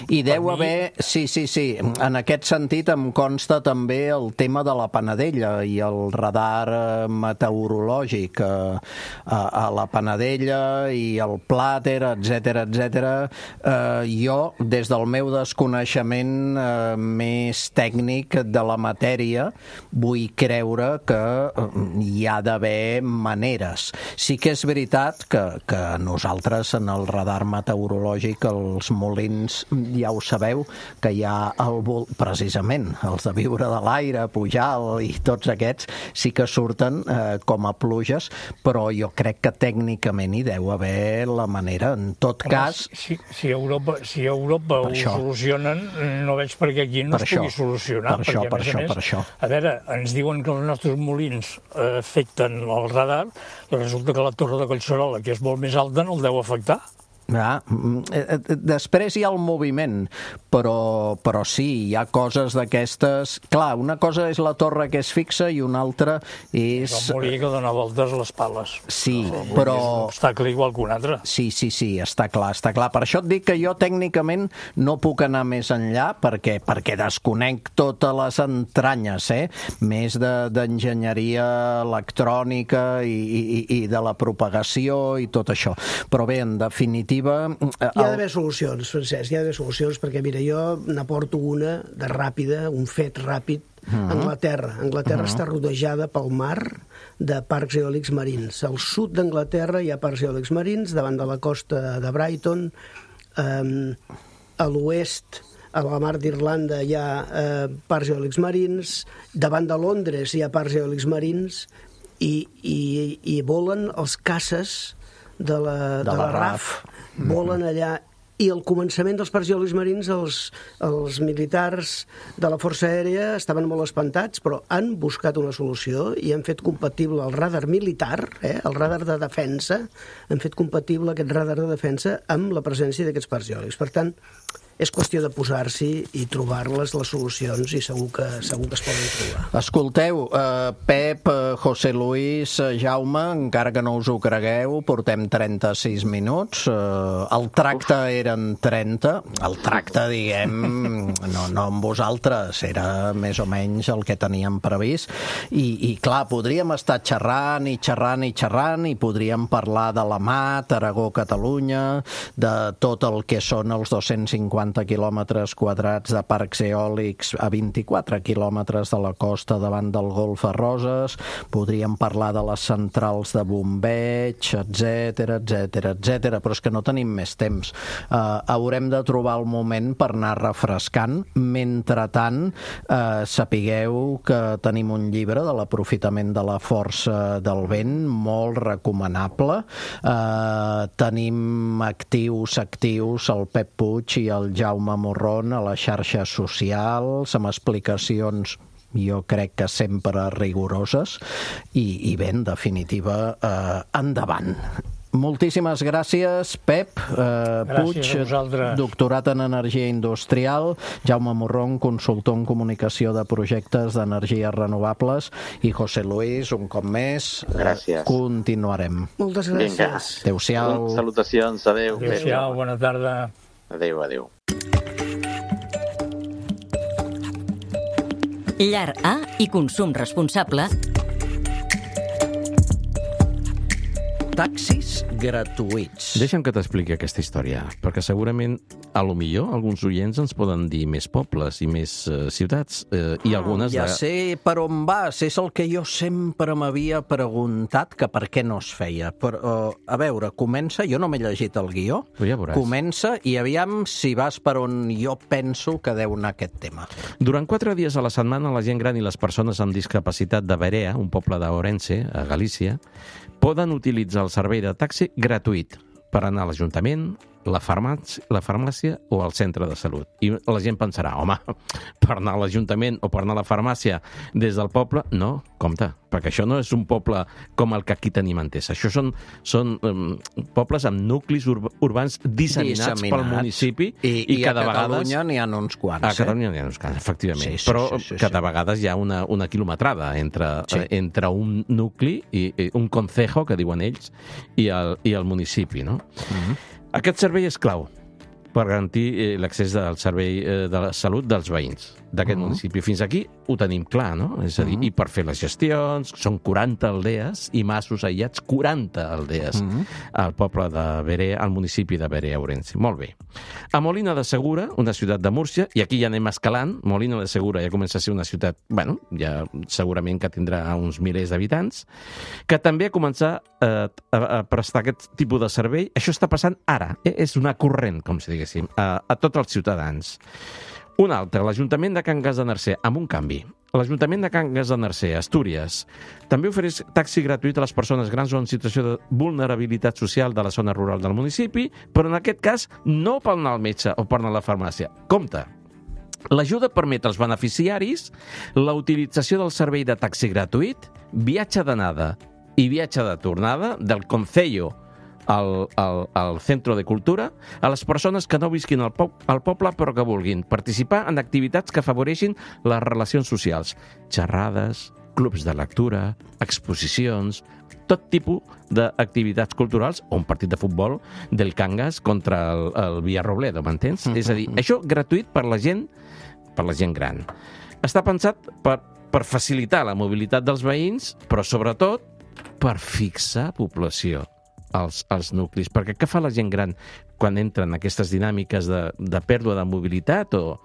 I deu haver, sí, sí, sí, en aquest sentit em consta també el tema de la Panadella i el radar meteorològic a, a, a la Panadella i el Plàter, etcètera, etcètera. Eh, jo, des del meu desconeixement eh, més tècnic de la matèria, vull creure que hi ha d'haver maneres. Sí que és veritat que, que nosaltres en el radar meteorològic, els molins, ja ho sabeu, que hi ha el, precisament els de viure de l'aire, Pujal i tots aquests, sí que surten eh, com a pluges, però jo crec que tècnicament hi deu haver la manera. En tot
home,
cas...
Si, si a Europa, si a Europa ho
això. solucionen,
no veig per què aquí no
per
es pugui
això.
solucionar.
Per això,
perquè,
per
a més
això,
a més,
per això.
A veure, ens diuen que els nostres molins eh, afecten el radar, i resulta que la torre de Collserola, que és molt més alta, no el deu afectar.
Ah, després hi ha el moviment, però, però sí, hi ha coses d'aquestes... Clar, una cosa és la torre que és fixa i una altra és...
És el molí que dona voltes a les pales.
Sí,
el
però...
És un obstacle igual que un altre.
Sí, sí, sí, està clar, està clar. Per això et dic que jo tècnicament no puc anar més enllà, perquè, perquè desconec totes les entranyes, eh? Més d'enginyeria electrònica i, i, i de la propagació i tot això. Però bé, en definitiva...
Hi ha d'haver solucions, Francesc, hi ha d'haver solucions, perquè mira, jo n'aporto una de ràpida, un fet ràpid. Uh-huh. Anglaterra. Anglaterra uh-huh. està rodejada pel mar de parcs eòlics marins. Al sud d'Anglaterra hi ha parcs eòlics marins, davant de la costa de Brighton, um, a l'oest, a la mar d'Irlanda hi ha uh, parcs eòlics marins, davant de Londres hi ha parcs eòlics marins, i, i, i volen els caces de la, de, de la, la R A F, volen allà, i al començament dels parcs eòlics marins els, els militars de la Força Aèria estaven molt espantats, però han buscat una solució i han fet compatible el radar militar, eh, el radar de defensa, han fet compatible aquest radar de defensa amb la presència d'aquests parcs eòlics. Per tant, és qüestió de posar-s'hi i trobar-les, les solucions, i segur que, segur que es poden trobar.
Escolteu, eh, Pep, eh, José Luis, eh, Jaume, encara que no us ho cregueu, portem trenta-sis minuts, eh, el tracte Uf. eren trenta, el tracte, diguem, no, no amb vosaltres, era més o menys el que teníem previst, i, i clar, podríem estar xerrant i xerrant i xerrant, i podríem parlar de la Mat, Aragó, Catalunya, de tot el que són els dos-cents cinquanta quilòmetres quadrats de parcs eòlics a vint-i-quatre quilòmetres de la costa davant del Golf a Roses, podríem parlar de les centrals de bombeig, etcètera, etcètera, etcètera, però és que no tenim més temps. Uh, haurem de trobar el moment per anar refrescant. Mentrestant, uh, sapigueu que tenim un llibre de l'aprofitament de la força del vent, molt recomanable. Uh, tenim actius, actius, el Pep Puig i el Jaume Morron a les xarxes socials, amb explicacions jo crec que sempre rigoroses, i, i bé, en definitiva, eh, endavant. Moltíssimes gràcies, Pep eh, Puig, doctorat en Energia Industrial, Jaume Morrón, consultor en comunicació de projectes d'energies renovables, i José Luis, un cop més.
Gràcies.
Eh, continuarem.
Moltes gràcies.
Adéu-siau.
Salutacions, adéu.
Adéu-siau, bona tarda.
Adéu, adéu.
Llar A i consum responsable.
Taxis gratuïts.
Deixa'm que t'expliqui aquesta història, perquè segurament, a lo millor, alguns oients ens poden dir més pobles i més uh, ciutats, uh, i algunes...
Ja
de...
sé per on vas, és el que jo sempre m'havia preguntat, que per què no es feia. Però, uh, a veure, comença, jo no m'he llegit el guió,
ja
comença i aviam si vas per on jo penso que deu anar aquest tema.
Durant quatre dies a la setmana, la gent gran i les persones amb discapacitat de Berea, un poble d'Ourense, a Galícia, poden utilitzar el servei de taxi gratuït per anar a l'Ajuntament, la farmàcia, la farmàcia o al centre de salut. I la gent pensarà, home, per anar a l'Ajuntament o per anar a la farmàcia des del poble, no, compte, perquè això no és un poble com el que aquí tenim entès. Això són, són um, pobles amb nuclis ur urbans disseminats, disseminats pel municipi
i,
i,
i
cada
a Catalunya
vegades...
n'hi ha uns quants.
A Catalunya n'hi ha uns quants, efectivament.
Sí, sí,
Però
sí, sí, sí.
cada vegada hi ha una, una quilometrada entre,
sí.
eh, entre un nucli, i, i un concejo, que diuen ells, i el, i el municipi, no? Mm-hmm. Aquest servei és clau per garantir eh, l'accés al servei eh, de la salut dels veïns d'aquest uh-huh. municipi. Fins aquí ho tenim clar, no? És a dir, uh-huh. i per fer les gestions, són quaranta aldees i masos aïllats, quaranta aldees uh-huh. al poble de Berea, al municipi de Berea, Ourense. Molt bé. A Molina de Segura, una ciutat de Múrcia, i aquí ja anem escalant, Molina de Segura ja comença a ser una ciutat, bueno, ja segurament que tindrà uns milers d'habitants, que també ha començat eh, a, a prestar aquest tipus de servei. Això està passant ara, eh? És una corrent, com si diguéssim, a, a tots els ciutadans. Un altre, l'Ajuntament de Can Gas de Narcea, amb un canvi. L'Ajuntament de Can Gas de Narcea, Astúries, també ofereix taxi gratuït a les persones grans o en situació de vulnerabilitat social de la zona rural del municipi, però en aquest cas no per anar al metge o per anar a la farmàcia. Compte! L'ajuda permet als beneficiaris la utilització del servei de taxi gratuït, viatge d'anada i viatge de tornada del Concello Al, al, al Centro de Cultura a les persones que no visquin al, po al poble però que vulguin participar en activitats que afavoreixin les relacions socials, xerrades, clubs de lectura, exposicions, tot tipus d'activitats culturals o un partit de futbol del Cangas contra el, el Villarrobledo, m'entens? Mm-hmm. És a dir, això gratuït per la gent, per la gent gran. Està pensat per, per facilitar la mobilitat dels veïns, però sobretot per fixar població als, als nuclis. Perquè què fa la gent gran quan entren en aquestes dinàmiques de, de pèrdua de mobilitat o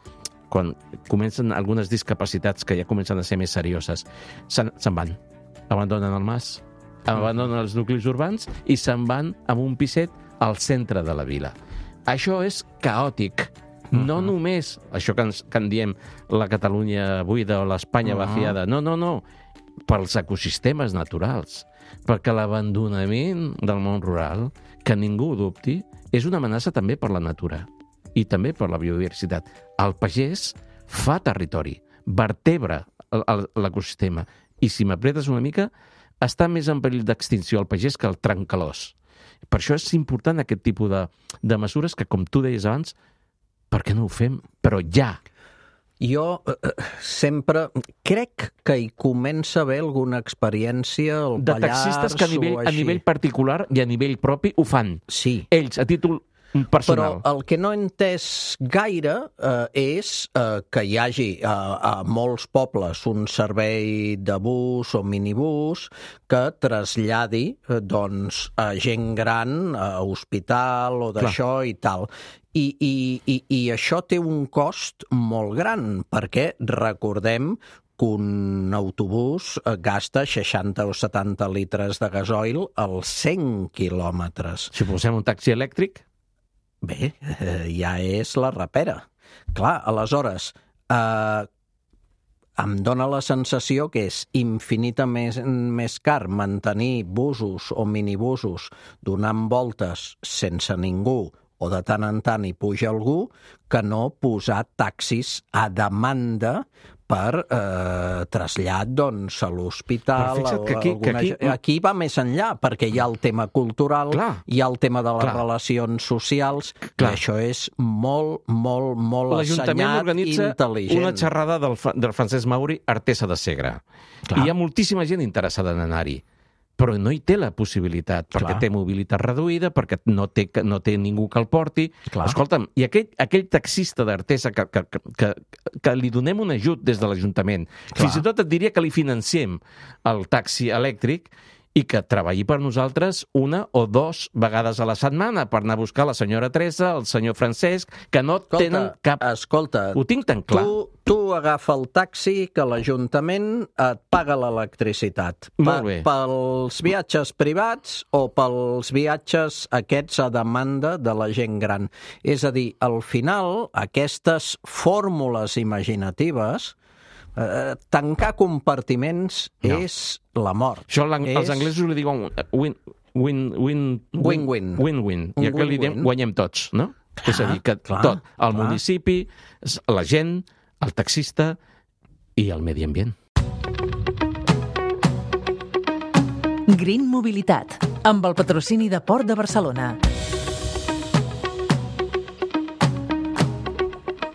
quan comencen algunes discapacitats que ja comencen a ser més serioses? Se'n se van, abandonen el mas, abandonen els nuclis urbans i se'n van amb un piset al centre de la vila. Això és caòtic. No uh-huh. només això que, ens, que en diem la Catalunya buida o l'Espanya uh-huh. vaciada. No, no, no. Pels ecosistemes naturals. Perquè l'abandonament del món rural, que ningú ho dubti, és una amenaça també per la natura i també per la biodiversitat. El pagès fa territori, vertebra l'ecosistema i si m'apretes una mica, està més en perill d'extinció el pagès que el trencalòs. Per això és important aquest tipus de, de mesures que, com tu deies abans, per què no ho fem? Però ja!
Jo eh, sempre crec que hi comença a haver alguna experiència al
de
Pallars
taxistes que a nivell, a nivell particular i a nivell propi ho fan.
Sí.
Ells, a títol personal.
Però el que no he entès gaire eh, és eh, que hi hagi a, a molts pobles un servei de bus o minibús que traslladi eh, doncs, a gent gran, a hospital o d'això i tal. I, i, i, I això té un cost molt gran, perquè recordem que un autobús gasta seixanta o setanta litres de gasoil als cent quilòmetres.
Si posem un taxi elèctric?
Bé, eh, ja és la rapera. Clar, aleshores, eh, em dóna la sensació que és infinitament més car mantenir busos o minibusos donant voltes sense ningú o de tant en tant hi puja algú, que no posar taxis a demanda per eh, trasllat doncs, a l'hospital.
Que aquí,
alguna...
que aquí...
aquí va més enllà, perquè hi ha el tema cultural,
Clar.
hi ha el tema de les
Clar.
relacions socials,
Clar.
i això és molt, molt, molt
L'Ajuntament
assenyat,
organitza
intel·ligent.
una xerrada del, del Francesc Mauri, Artesa de Segre. Clar. I hi ha moltíssima gent interessada en anar-hi, però no hi té la possibilitat, perquè
Clar.
té mobilitat reduïda, perquè no té, no té ningú que el porti.
Clar.
Escolta'm, i aquell, aquell taxista d'Artesa que, que, que, que li donem un ajut des de l'Ajuntament, fins i tot et diria que li financiem el taxi elèctric, i que treballi per nosaltres una o dos vegades a la setmana per anar a buscar la senyora Teresa, el senyor Francesc, que no
Escolta,
tenen cap...
Escolta,
Ho tinc tan clar.
Tu, tu agafa el taxi que l'Ajuntament et paga l'electricitat.
Molt bé.
Pels viatges privats o pels viatges aquests a demanda de la gent gran. És a dir, al final, aquestes fórmules imaginatives, eh, tancar compartiments
No.
és la mort.
Això és... els anglesos li diuen win, win, win,
Win-win.
Win-win. I aquí li diem guanyem tots, no?
Clar,
és a dir, que
clar,
tot, el
clar.
municipi, la gent, el taxista i el medi ambient.
Green Mobilitat, amb el patrocini de Port de Barcelona.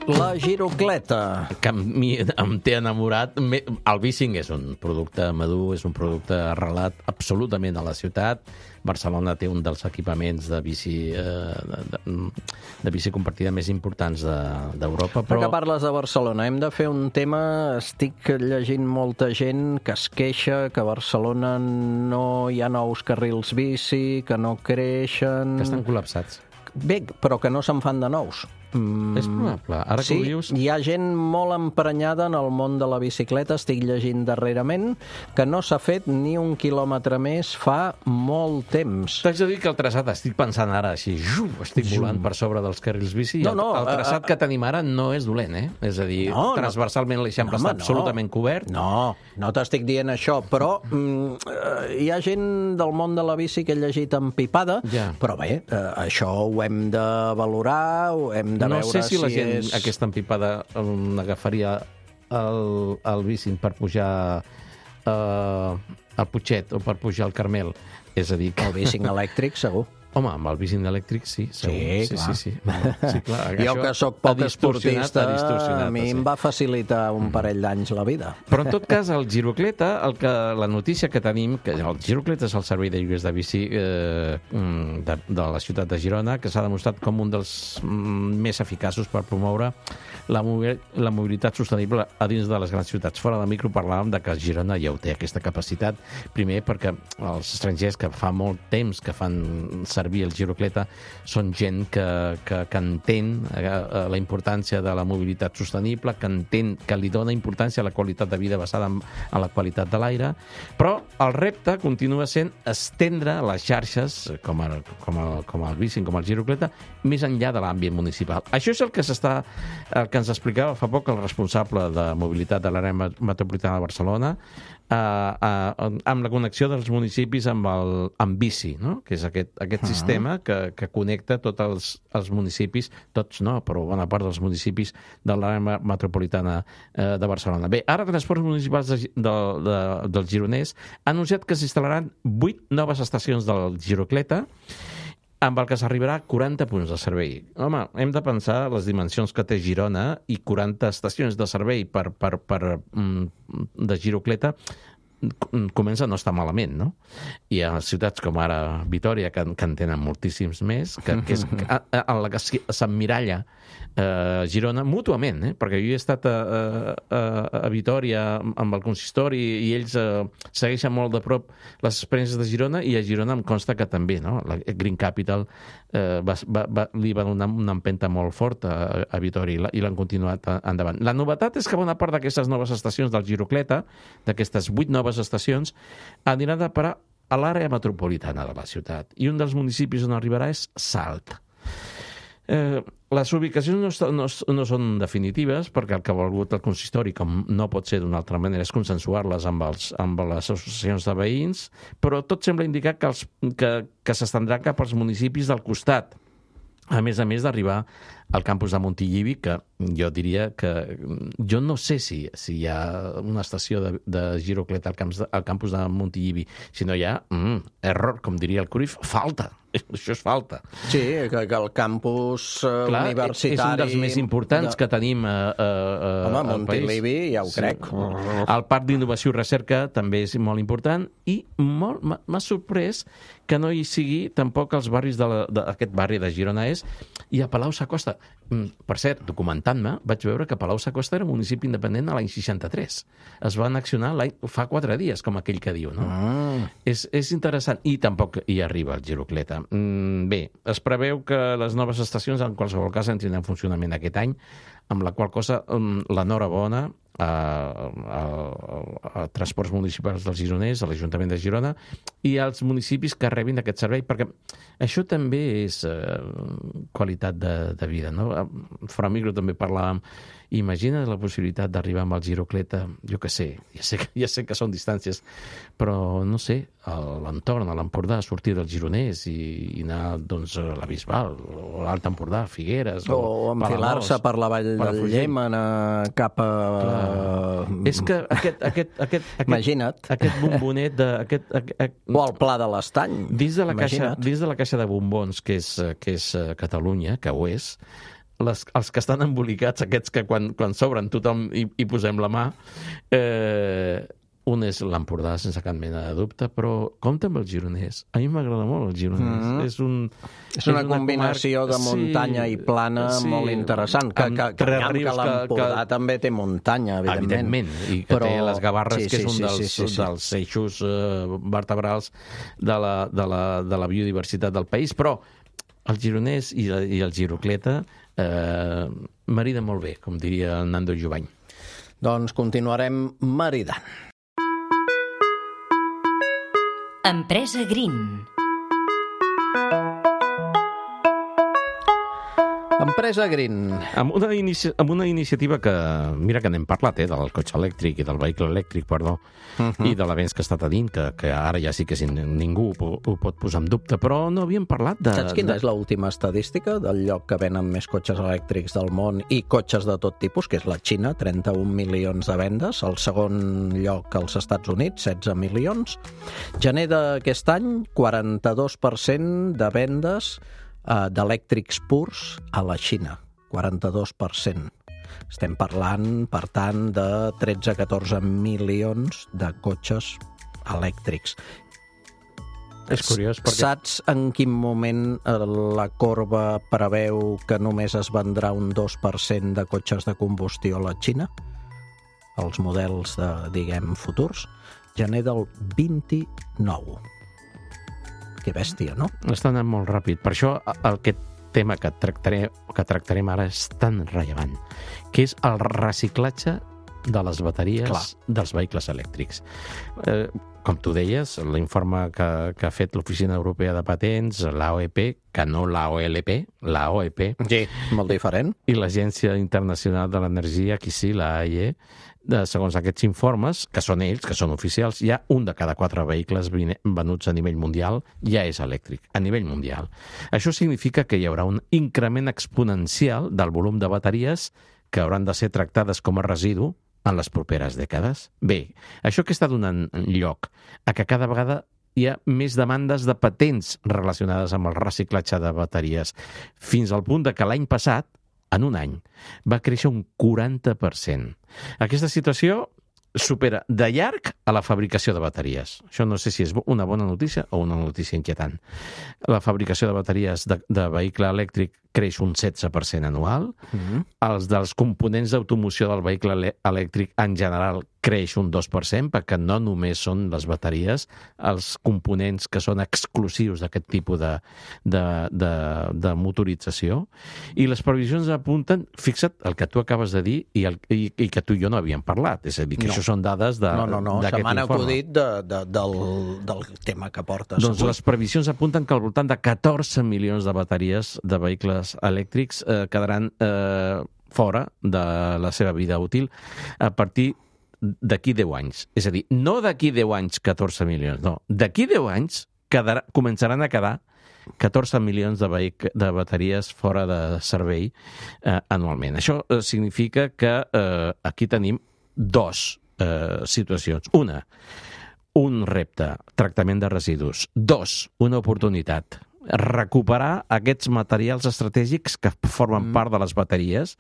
La girocleta.
Que a mi em té enamorat. El bicing és un producte madur, és un producte arrelat absolutament a la ciutat. Barcelona té un dels equipaments de bici, eh, de, de, de bici compartida més importants d'Europa. De,
però... que parles de Barcelona, hem de fer un tema... Estic llegint molta gent que es queixa que a Barcelona no hi ha nous carrils bici, que no creixen...
Que estan col·lapsats.
Bé, però que no se'n fan de nous.
Mm, és probable. Ara
sí,
que ho dius...
hi ha gent molt emprenyada en el món de la bicicleta, estic llegint darrerament, que no s'ha fet ni un quilòmetre més fa molt temps.
T'haig de dir que el traçat, estic pensant ara així, ju, estic volant per sobre dels carrils bici, no, no, el, el traçat uh, que tenim ara no és dolent, eh? És a dir, no, transversalment l'Eixample no, està no. absolutament cobert.
No, no t'estic dient això, però mm, hi ha gent del món de la bici que he llegit empipada, ja. Però bé, eh, això ho hem de valorar, ho hem de
no
veure
sé si la gent
és...
aquesta empipada um, agafaria el, el bicing per pujar uh, al Putxet o per pujar al Carmel. És a dir, que...
El bicing elèctric, segur.
Home, amb el bicing elèctric, sí, segur.
Sí,
sí,
clar.
sí, sí. sí clar,
jo que sóc poc esportista, a mi
sí.
em va facilitar un parell d'anys la vida.
Però en tot cas, el Girocleta, el que, la notícia que tenim, que el Girocleta és el servei de lloguers de bici eh, de, de la ciutat de Girona, que s'ha demostrat com un dels mm, més eficaços per promoure la, la mobilitat sostenible a dins de les grans ciutats. Fora de micro parlàvem de que Girona ja ho té, aquesta capacitat. Primer perquè els estrangers que fa molt temps que fan servir el Girocleta són gent que, que, que entén la importància de la mobilitat sostenible, que entén que li dona importància a la qualitat de vida basada en, en la qualitat de l'aire, però el repte continua sent estendre les xarxes, com el, com el, com el bicing, com el Girocleta, més enllà de l'àmbit municipal. Això és el que s'està, el que ens explicava fa poc el responsable de mobilitat de l'àrea metropolitana de Barcelona, Uh, uh, amb la connexió dels municipis amb el amb bici, no? Que és aquest, aquest uh-huh. sistema que, que connecta tots els, els municipis, tots no, però bona part dels municipis de l'àrea metropolitana uh, de Barcelona. Bé, ara Transports Municipals de, de, de, del Gironès ha anunciat que s'instal·laran vuit noves estacions del Girocleta, amb el que s'arribarà a quaranta punts de servei. Home, hem de pensar les dimensions que té Girona i quaranta estacions de servei per, per, per, de Girocleta comença a no estar malament, no? Hi ha ciutats com ara Vitòria, que, que en tenen moltíssims més, que, que és en la que s'emmiralla eh, Girona mútuament, eh? Perquè jo he estat a, a, a Vitòria amb el consistori i ells eh, segueixen molt de prop les experiències de Girona, i a Girona em consta que també, no? La Green Capital eh, va, va, va, li va donar una empenta molt forta a, a Vitòria i l'han continuat endavant. La novetat és que bona part d'aquestes noves estacions del Girocleta, d'aquestes vuit noves estacions, aniran a parar a l'àrea metropolitana de la ciutat, i un dels municipis on arribarà és Salt. Eh, les ubicacions no, no, no són definitives, perquè el que ha volgut el consistori, com no pot ser d'una altra manera, és consensuar-les amb, els, amb les associacions de veïns, però tot sembla indicar que, els, que, que s'estendrà cap als municipis del costat. a més a més d'arribar al campus de Montilivi, que jo diria que... Jo no sé si, si hi ha una estació de, de girocleta al, camps de, al campus de Montilivi, si no hi ha, mm, error, com diria el Cruyff, falta. Això és falta.
Sí, que, que el campus uh,
Clar,
universitari...
és un dels més importants de... que tenim a, a, a,
Home,
al país.
Montilivi, ja ho
sí.
crec.
El Parc d'Innovació i Recerca també és molt important i molt, m'ha sorprès que no hi sigui tampoc els barris d'aquest barri de Girona és i a Palau-Sacosta. Per cert, documentant-me, vaig veure que Palau-Sacosta era un municipi independent a l'any seixanta-tres. Es van accionar fa quatre dies, com aquell que diu, no? Mm. És, és interessant. I tampoc hi arriba el girocleta. Bé, es preveu que les noves estacions en qualsevol cas entrin en funcionament aquest any, amb la qual cosa l'enhorabona a, a, a Transports Municipals dels Gironers, a l'Ajuntament de Girona i als municipis que rebin aquest servei, perquè això també és eh, qualitat de, de vida, no? Fora micro també parlàvem. Imagina't la possibilitat d'arribar amb el girocleta, jo què sé, ja sé, ja sé que són distàncies, però no sé, a l'entorn, a l'Empordà, sortir dels Gironers i, i anar doncs, a la Bisbal, o a l'Alt Empordà, a Figueres,
o,
o
enfilar-se per la Vall del Llémena cap a...
Clar. És que aquest... aquest, aquest, aquest
Imagina't.
Aquest bombonet de... Aquest, aquest,
o el Pla de l'Estany.
Dins de la caixa, dins de la caixa de bombons, que és, que és Catalunya, que ho és, Les, els que estan embolicats, aquests que quan, quan s'obren tothom hi, hi posem la mà, eh, un és l'Empordà, sense cap mena de dubte, però compta amb els gironers. A mi m'agrada molt els gironers. Mm-hmm. És, un,
és, és una, una combinació comarca, de muntanya sí, i plana sí, molt interessant. Que, que, que, que, que l'Empordà que, també té muntanya, evidentment.
Evidentment, i que però... té les Gavarres, sí, que és un
sí,
dels,
sí, sí, sí.
dels eixos eh, vertebrals de la, de, la, de la biodiversitat del país, però els gironers i, i el girocleta eh, marida molt bé, com diria Nando Jovany.
Doncs continuarem maridant.
Empresa Green.
Empresa Green.
Amb una, inici... amb una iniciativa que, mira que n'hem parlat, eh, del cotxe elèctric i del vehicle elèctric, perdó, uh-huh. i de l'avenç que està tenint, que, que ara ja sí que ningú ho, ho pot posar en dubte, però no havíem parlat de...
Saps quina
de...
és l'última estadística del lloc que venen més cotxes elèctrics del món i cotxes de tot tipus, que és la Xina, trenta-un milions de vendes, el segon lloc als Estats Units, setze milions. Gener d'aquest any, quaranta-dos per cent de vendes d'elèctrics purs a la Xina, quaranta-dos per cent. Estem parlant, per tant, de tretze a catorze milions de cotxes elèctrics.
És curiós perquè...
Saps en quin moment la corba preveu que només es vendrà un dos per cent de cotxes de combustió a la Xina? Els models, de, diguem, futurs? Gener del vint-i-nou. Que bèstia, no?
Està anant molt ràpid. Per això aquest tema que, tractaré, que tractarem ara és tan rellevant, que és el reciclatge de les bateries Clar. dels vehicles elèctrics. Eh, com tu deies, l'informe que, que ha fet l'Oficina Europea de Patents, l'A O E P, que no l'A O L P, l'A O E P,
sí, molt diferent,
i l'Agència Internacional de l'Energia, aquí sí, la A I E, de, segons aquests informes, que són ells, que són oficials, ja un de cada quatre vehicles venuts a nivell mundial ja és elèctric, a nivell mundial. Això significa que hi haurà un increment exponencial del volum de bateries que hauran de ser tractades com a residu en les properes dècades. Bé, això que està donant lloc a que cada vegada hi ha més demandes de patents relacionades amb el reciclatge de bateries, fins al punt de que l'any passat, en un any, va créixer un quaranta per cent. Aquesta situació supera de llarg a la fabricació de bateries. Això no sé si és una bona notícia o una notícia inquietant. La fabricació de bateries de, de vehicle elèctric creix un setze per cent anual. Mm-hmm. Els dels components d'automoció del vehicle elèctric en general creix un dos per cent, perquè no només són les bateries els components que són exclusius d'aquest tipus de, de, de, de motorització. I les previsions apunten, fixa't el que tu acabes de dir i, el, i, i que tu i jo no havíem parlat. És a dir, que no. això són dades de,
no, no, no.
d'aquest
informe. Se m'han acudit de, de, del, del tema que portes.
Doncs avui. Les previsions apunten que al voltant de catorze milions de bateries de vehicles elèctrics eh, quedaran eh, fora de la seva vida útil a partir d'aquí deu anys. És a dir, no d'aquí deu anys catorze milions, no. D'aquí deu anys quedarà, començaran a quedar catorze milions de, vehic- de bateries fora de servei eh, anualment. Això eh, significa que eh, aquí tenim dos eh, situacions. Una, un repte, tractament de residus. Dos, una oportunitat, recuperar aquests materials estratègics que formen mm. part de les bateries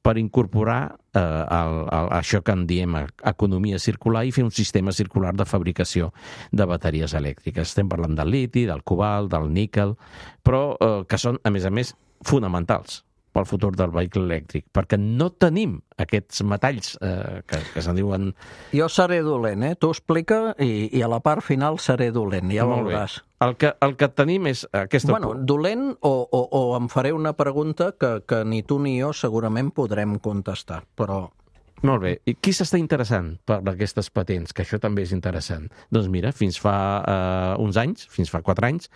per incorporar eh, el, el, això que en diem economia circular i fer un sistema circular de fabricació de bateries elèctriques. Estem parlant del liti, del cobalt, del níquel, però eh, que són, a més a més, fonamentals pel futur del vehicle elèctric, perquè no tenim aquests metalls eh, que, que se'n diuen...
Jo seré dolent, eh? Tu explica i, i a la part final seré dolent, ja
Molt
veuràs.
Bé. El que, el que tenim és aquesta...
Bueno, dolent o, o, o em faré una pregunta que, que ni tu ni jo segurament podrem contestar, però...
Molt bé. I qui s'està interessant per aquestes patents? Que això també és interessant. Doncs mira, fins fa uh, uns anys, fins fa quatre anys,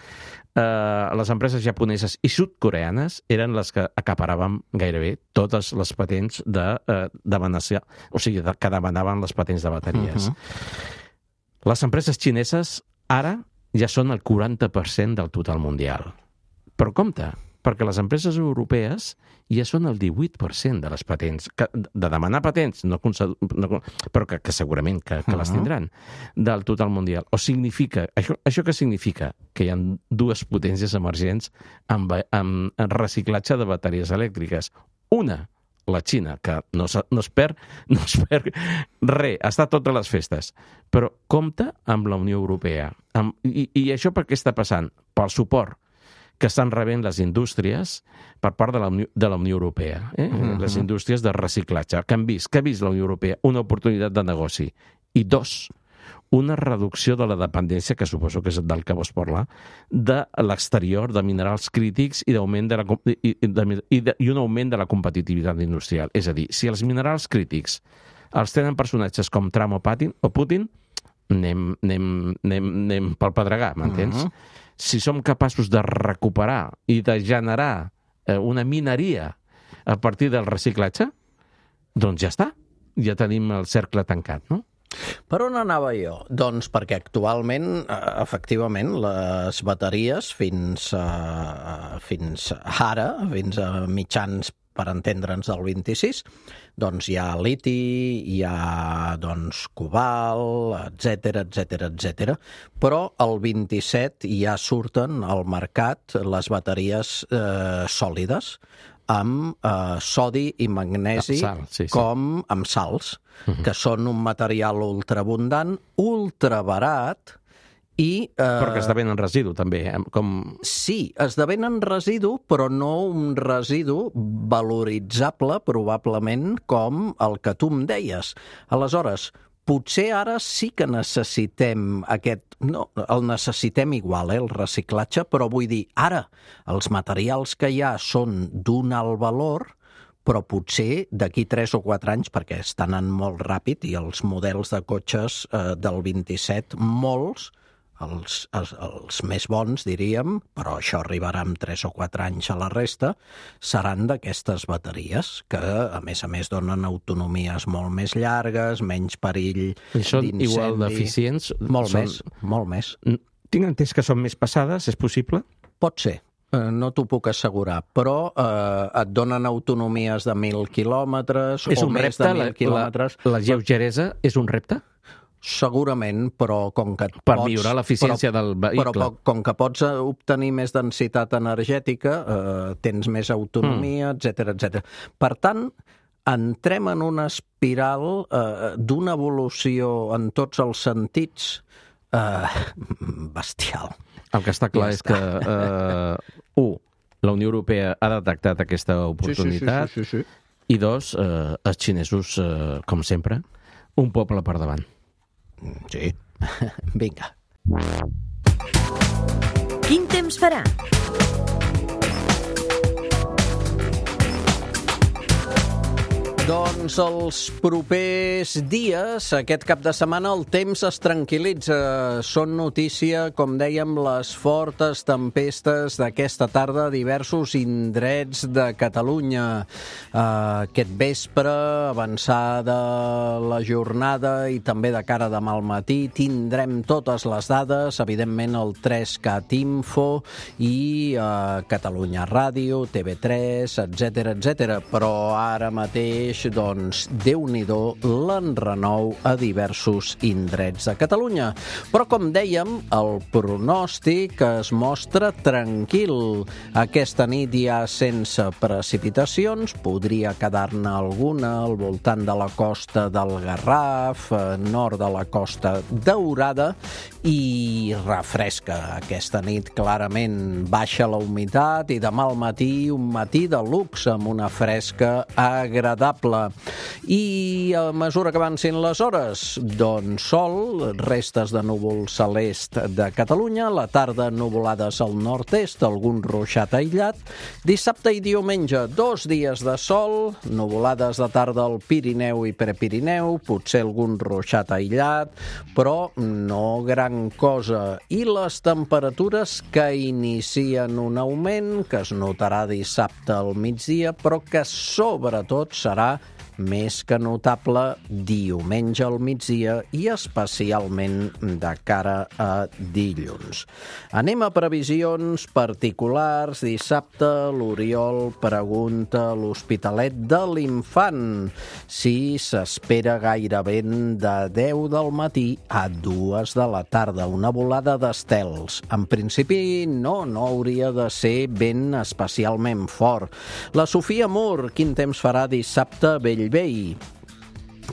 uh, les empreses japoneses i sud-coreanes eren les que acaparaven gairebé totes les patents de, uh, de Venècia, o sigui, de, que demanaven les patents de bateries. Uh-huh. Les empreses xineses ara ja són el quaranta per cent del total mundial. Però compte, perquè les empreses europees ja són el divuit per cent de les patents, que, de demanar patents, no, no, però que, que segurament que, que les tindran, del total mundial. O significa, això, això què significa? Que hi ha dues potències emergents amb, amb, amb reciclatge de bateries elèctriques. Una, la Xina, que no, no es perd, no es perd res, està a totes les festes, però compta amb la Unió Europea. Amb, i, I això per què està passant? Pel suport que estan rebent les indústries per part de la Unió, de la Unió Europea, eh? Mm-hmm. Les indústries de reciclatge, que han vist, que ha vist la Unió Europea una oportunitat de negoci. I dos, una reducció de la dependència, que suposo que és del que vols parlar, de l'exterior, de minerals crítics i, d'augment de la, i, de, i, de, i un augment de la competitivitat industrial. És a dir, si els minerals crítics els tenen personatges com Trump o Putin, o Putin anem, anem, anem, anem pel pedregar, m'entens? Mm-hmm. Si som capaços de recuperar i de generar eh, una mineria a partir del reciclatge, doncs ja està. Ja tenim el cercle tancat, no?
Per on anava jo? Doncs perquè actualment, efectivament, les bateries fins, a, fins ara, fins a mitjans, per entendre'ns, del vint-i-sis, doncs hi ha liti, hi ha doncs, cobalt, etcètera, etcètera, etcètera. Però el vint-i-set ja surten al mercat les bateries eh, sòlides amb eh, sodi i magnesi,
sal, sí, sí.
com amb sals, uh-huh. que són un material ultraabundant, ultrabarat, i, eh...
però que esdevenen residu, també. Com...
Sí, esdevenen residu, però no un residu valoritzable, probablement, com el que tu em deies. Aleshores, potser ara sí que necessitem aquest... No, el necessitem igual, eh, el reciclatge, però vull dir, ara els materials que hi ha són d'un alt valor, però potser d'aquí tres o quatre anys, perquè estan anant molt ràpid, i els models de cotxes eh, del vint-i-set, molts, Els, els, els més bons, diríem, però això arribarà en tres o quatre anys a la resta, seran d'aquestes bateries, que, a més a més, donen autonomies molt més llargues, menys perill d'incendi.
I són igual d'eficients?
Molt
són...
més, molt més.
Tinc entès que són més pesades, és possible?
Pot ser. No t'ho puc assegurar, però eh, et donen autonomies de mil quilòmetres
és
o més
repte,
de mil
la,
quilòmetres.
La, la lleugeresa és un repte?
Segurament, però com que
per
pots...
millorar l'eficiència del vehicle.
Però com que pots obtenir més densitat energètica, eh, tens més autonomia, etcètera, etcètera. Per tant, entrem en una espiral eh, d'una evolució en tots els sentits eh, bestial.
El que està clar ja és està. que, eh, un, la Unió Europea ha detectat aquesta oportunitat,
sí, sí, sí, sí, sí.
I dos, eh, els xinesos, eh, com sempre, un poble per davant.
Sí, vinga.
Quin temps farà?
Doncs els propers dies, aquest cap de setmana, el temps es tranquil·litza. Són notícia, com dèiem, les fortes tempestes d'aquesta tarda a diversos indrets de Catalunya. Aquest vespre, avançada la jornada i també de cara a demà al matí, tindrem totes les dades, evidentment el tres cat info i eh, Catalunya Ràdio, T V tres, etcètera, etcètera. Però ara mateix, doncs, Déu-n'hi-do l'enrenou a diversos indrets de Catalunya. Però, com dèiem, el pronòstic es mostra tranquil. Aquesta nit ja sense precipitacions, podria quedar-ne alguna al voltant de la costa del Garraf, nord de la Costa Daurada, i refresca. Aquesta nit clarament baixa la humitat i demà al matí un matí de luxe amb una fresca agradable. I a mesura que avancin les hores, doncs sol, restes de núvol celest de Catalunya, la tarda nuvolades al nord-est, algun ruixat aïllat. Dissabte i diumenge, dos dies de sol, nuvolades de tarda al Pirineu i Prepirineu, potser algun ruixat aïllat, però no gran cosa. I les temperatures que inicien un augment, que es notarà dissabte al migdia, però que sobretot serà més que notable diumenge al migdia i especialment de cara a dilluns. Anem a previsions particulars. Dissabte l'Oriol pregunta a l'Hospitalet de l'Infant si s'espera gaire vent de deu del matí a dues de la tarda, una volada d'estels. En principi no, no hauria de ser vent especialment fort. La Sofia Mur, quin temps farà dissabte a Bellvei?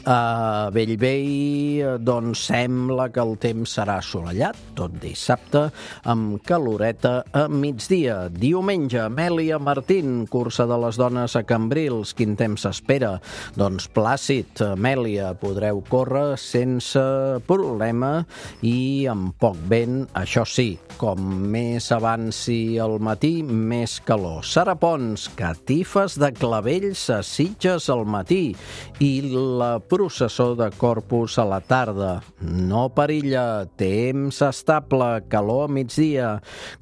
A Bellvei, doncs sembla que el temps serà assolellat, tot dissabte, amb caloreta a migdia. Diumenge, Amèlia Martín, cursa de les dones a Cambrils. Quin temps s'espera? Doncs plàcid, Amèlia, podreu córrer sense problema i amb poc vent, això sí, com més avanci el matí, més calor. Sara Pons, catifes de clavells a Sitges al matí i la processó de Corpus a la tarda. No perilla, temps estable, calor a migdia.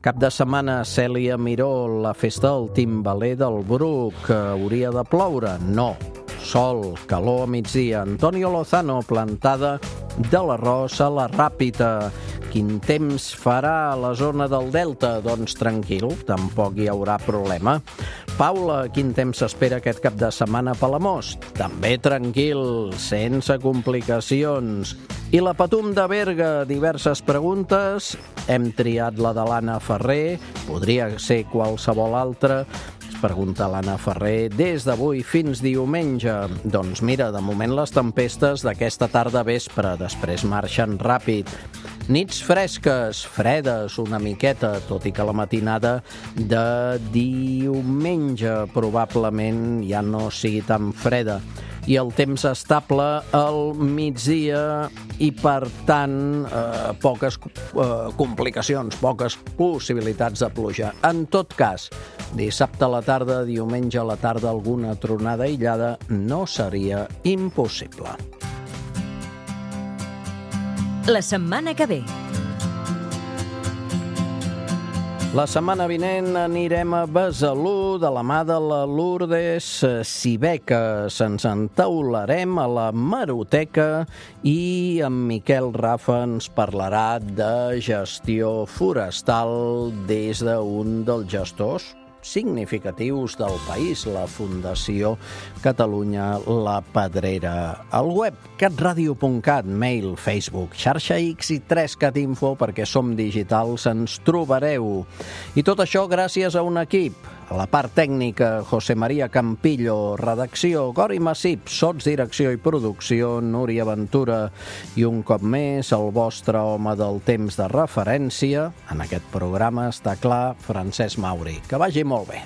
Cap de setmana, Cèlia Miró, la festa del timbaler del Bruc. Hauria de ploure? No. Sol, calor a migdia. Antonio Lozano, plantada de l'arròs a la Ràpita. Quin temps farà a la zona del Delta? Doncs tranquil, tampoc hi haurà problema. Paula, quin temps s'espera aquest cap de setmana a Palamós? També tranquil, sense complicacions. I la Patum de Berga, diverses preguntes. Hem triat la de l'Anna Ferrer, podria ser qualsevol altra. Es pregunta l'Anna Ferrer, des d'avui fins diumenge. Doncs mira, de moment les tempestes d'aquesta tarda vespre, després marxen ràpid. Nits fresques, fredes una miqueta, tot i que la matinada de diumenge probablement ja no sigui tan freda. I el temps estable al migdia i, per tant, eh, poques eh, complicacions, poques possibilitats de pluja. En tot cas, dissabte a la tarda, diumenge a la tarda, alguna tronada aïllada no seria impossible.
La setmana que ve.
La setmana vinent anirem a Besalú de la mà de la Lourdes Sibeques. Ens entaularem a la Maroteca i en Miquel Rafa ens parlarà de gestió forestal des d'un dels gestors significatius del país, la Fundació Catalunya La Pedrera. Al web catradio punt cat, mail, Facebook, xarxa X i tres cat info, perquè som digitals, ens trobareu. I tot això gràcies a un equip. A la part tècnica, José María Campillo, redacció, Gori Massip, sots, direcció i producció, Núria Ventura, i un cop més el vostre home del temps de referència, en aquest programa està clar, Francesc Mauri. Que vagi molt bé.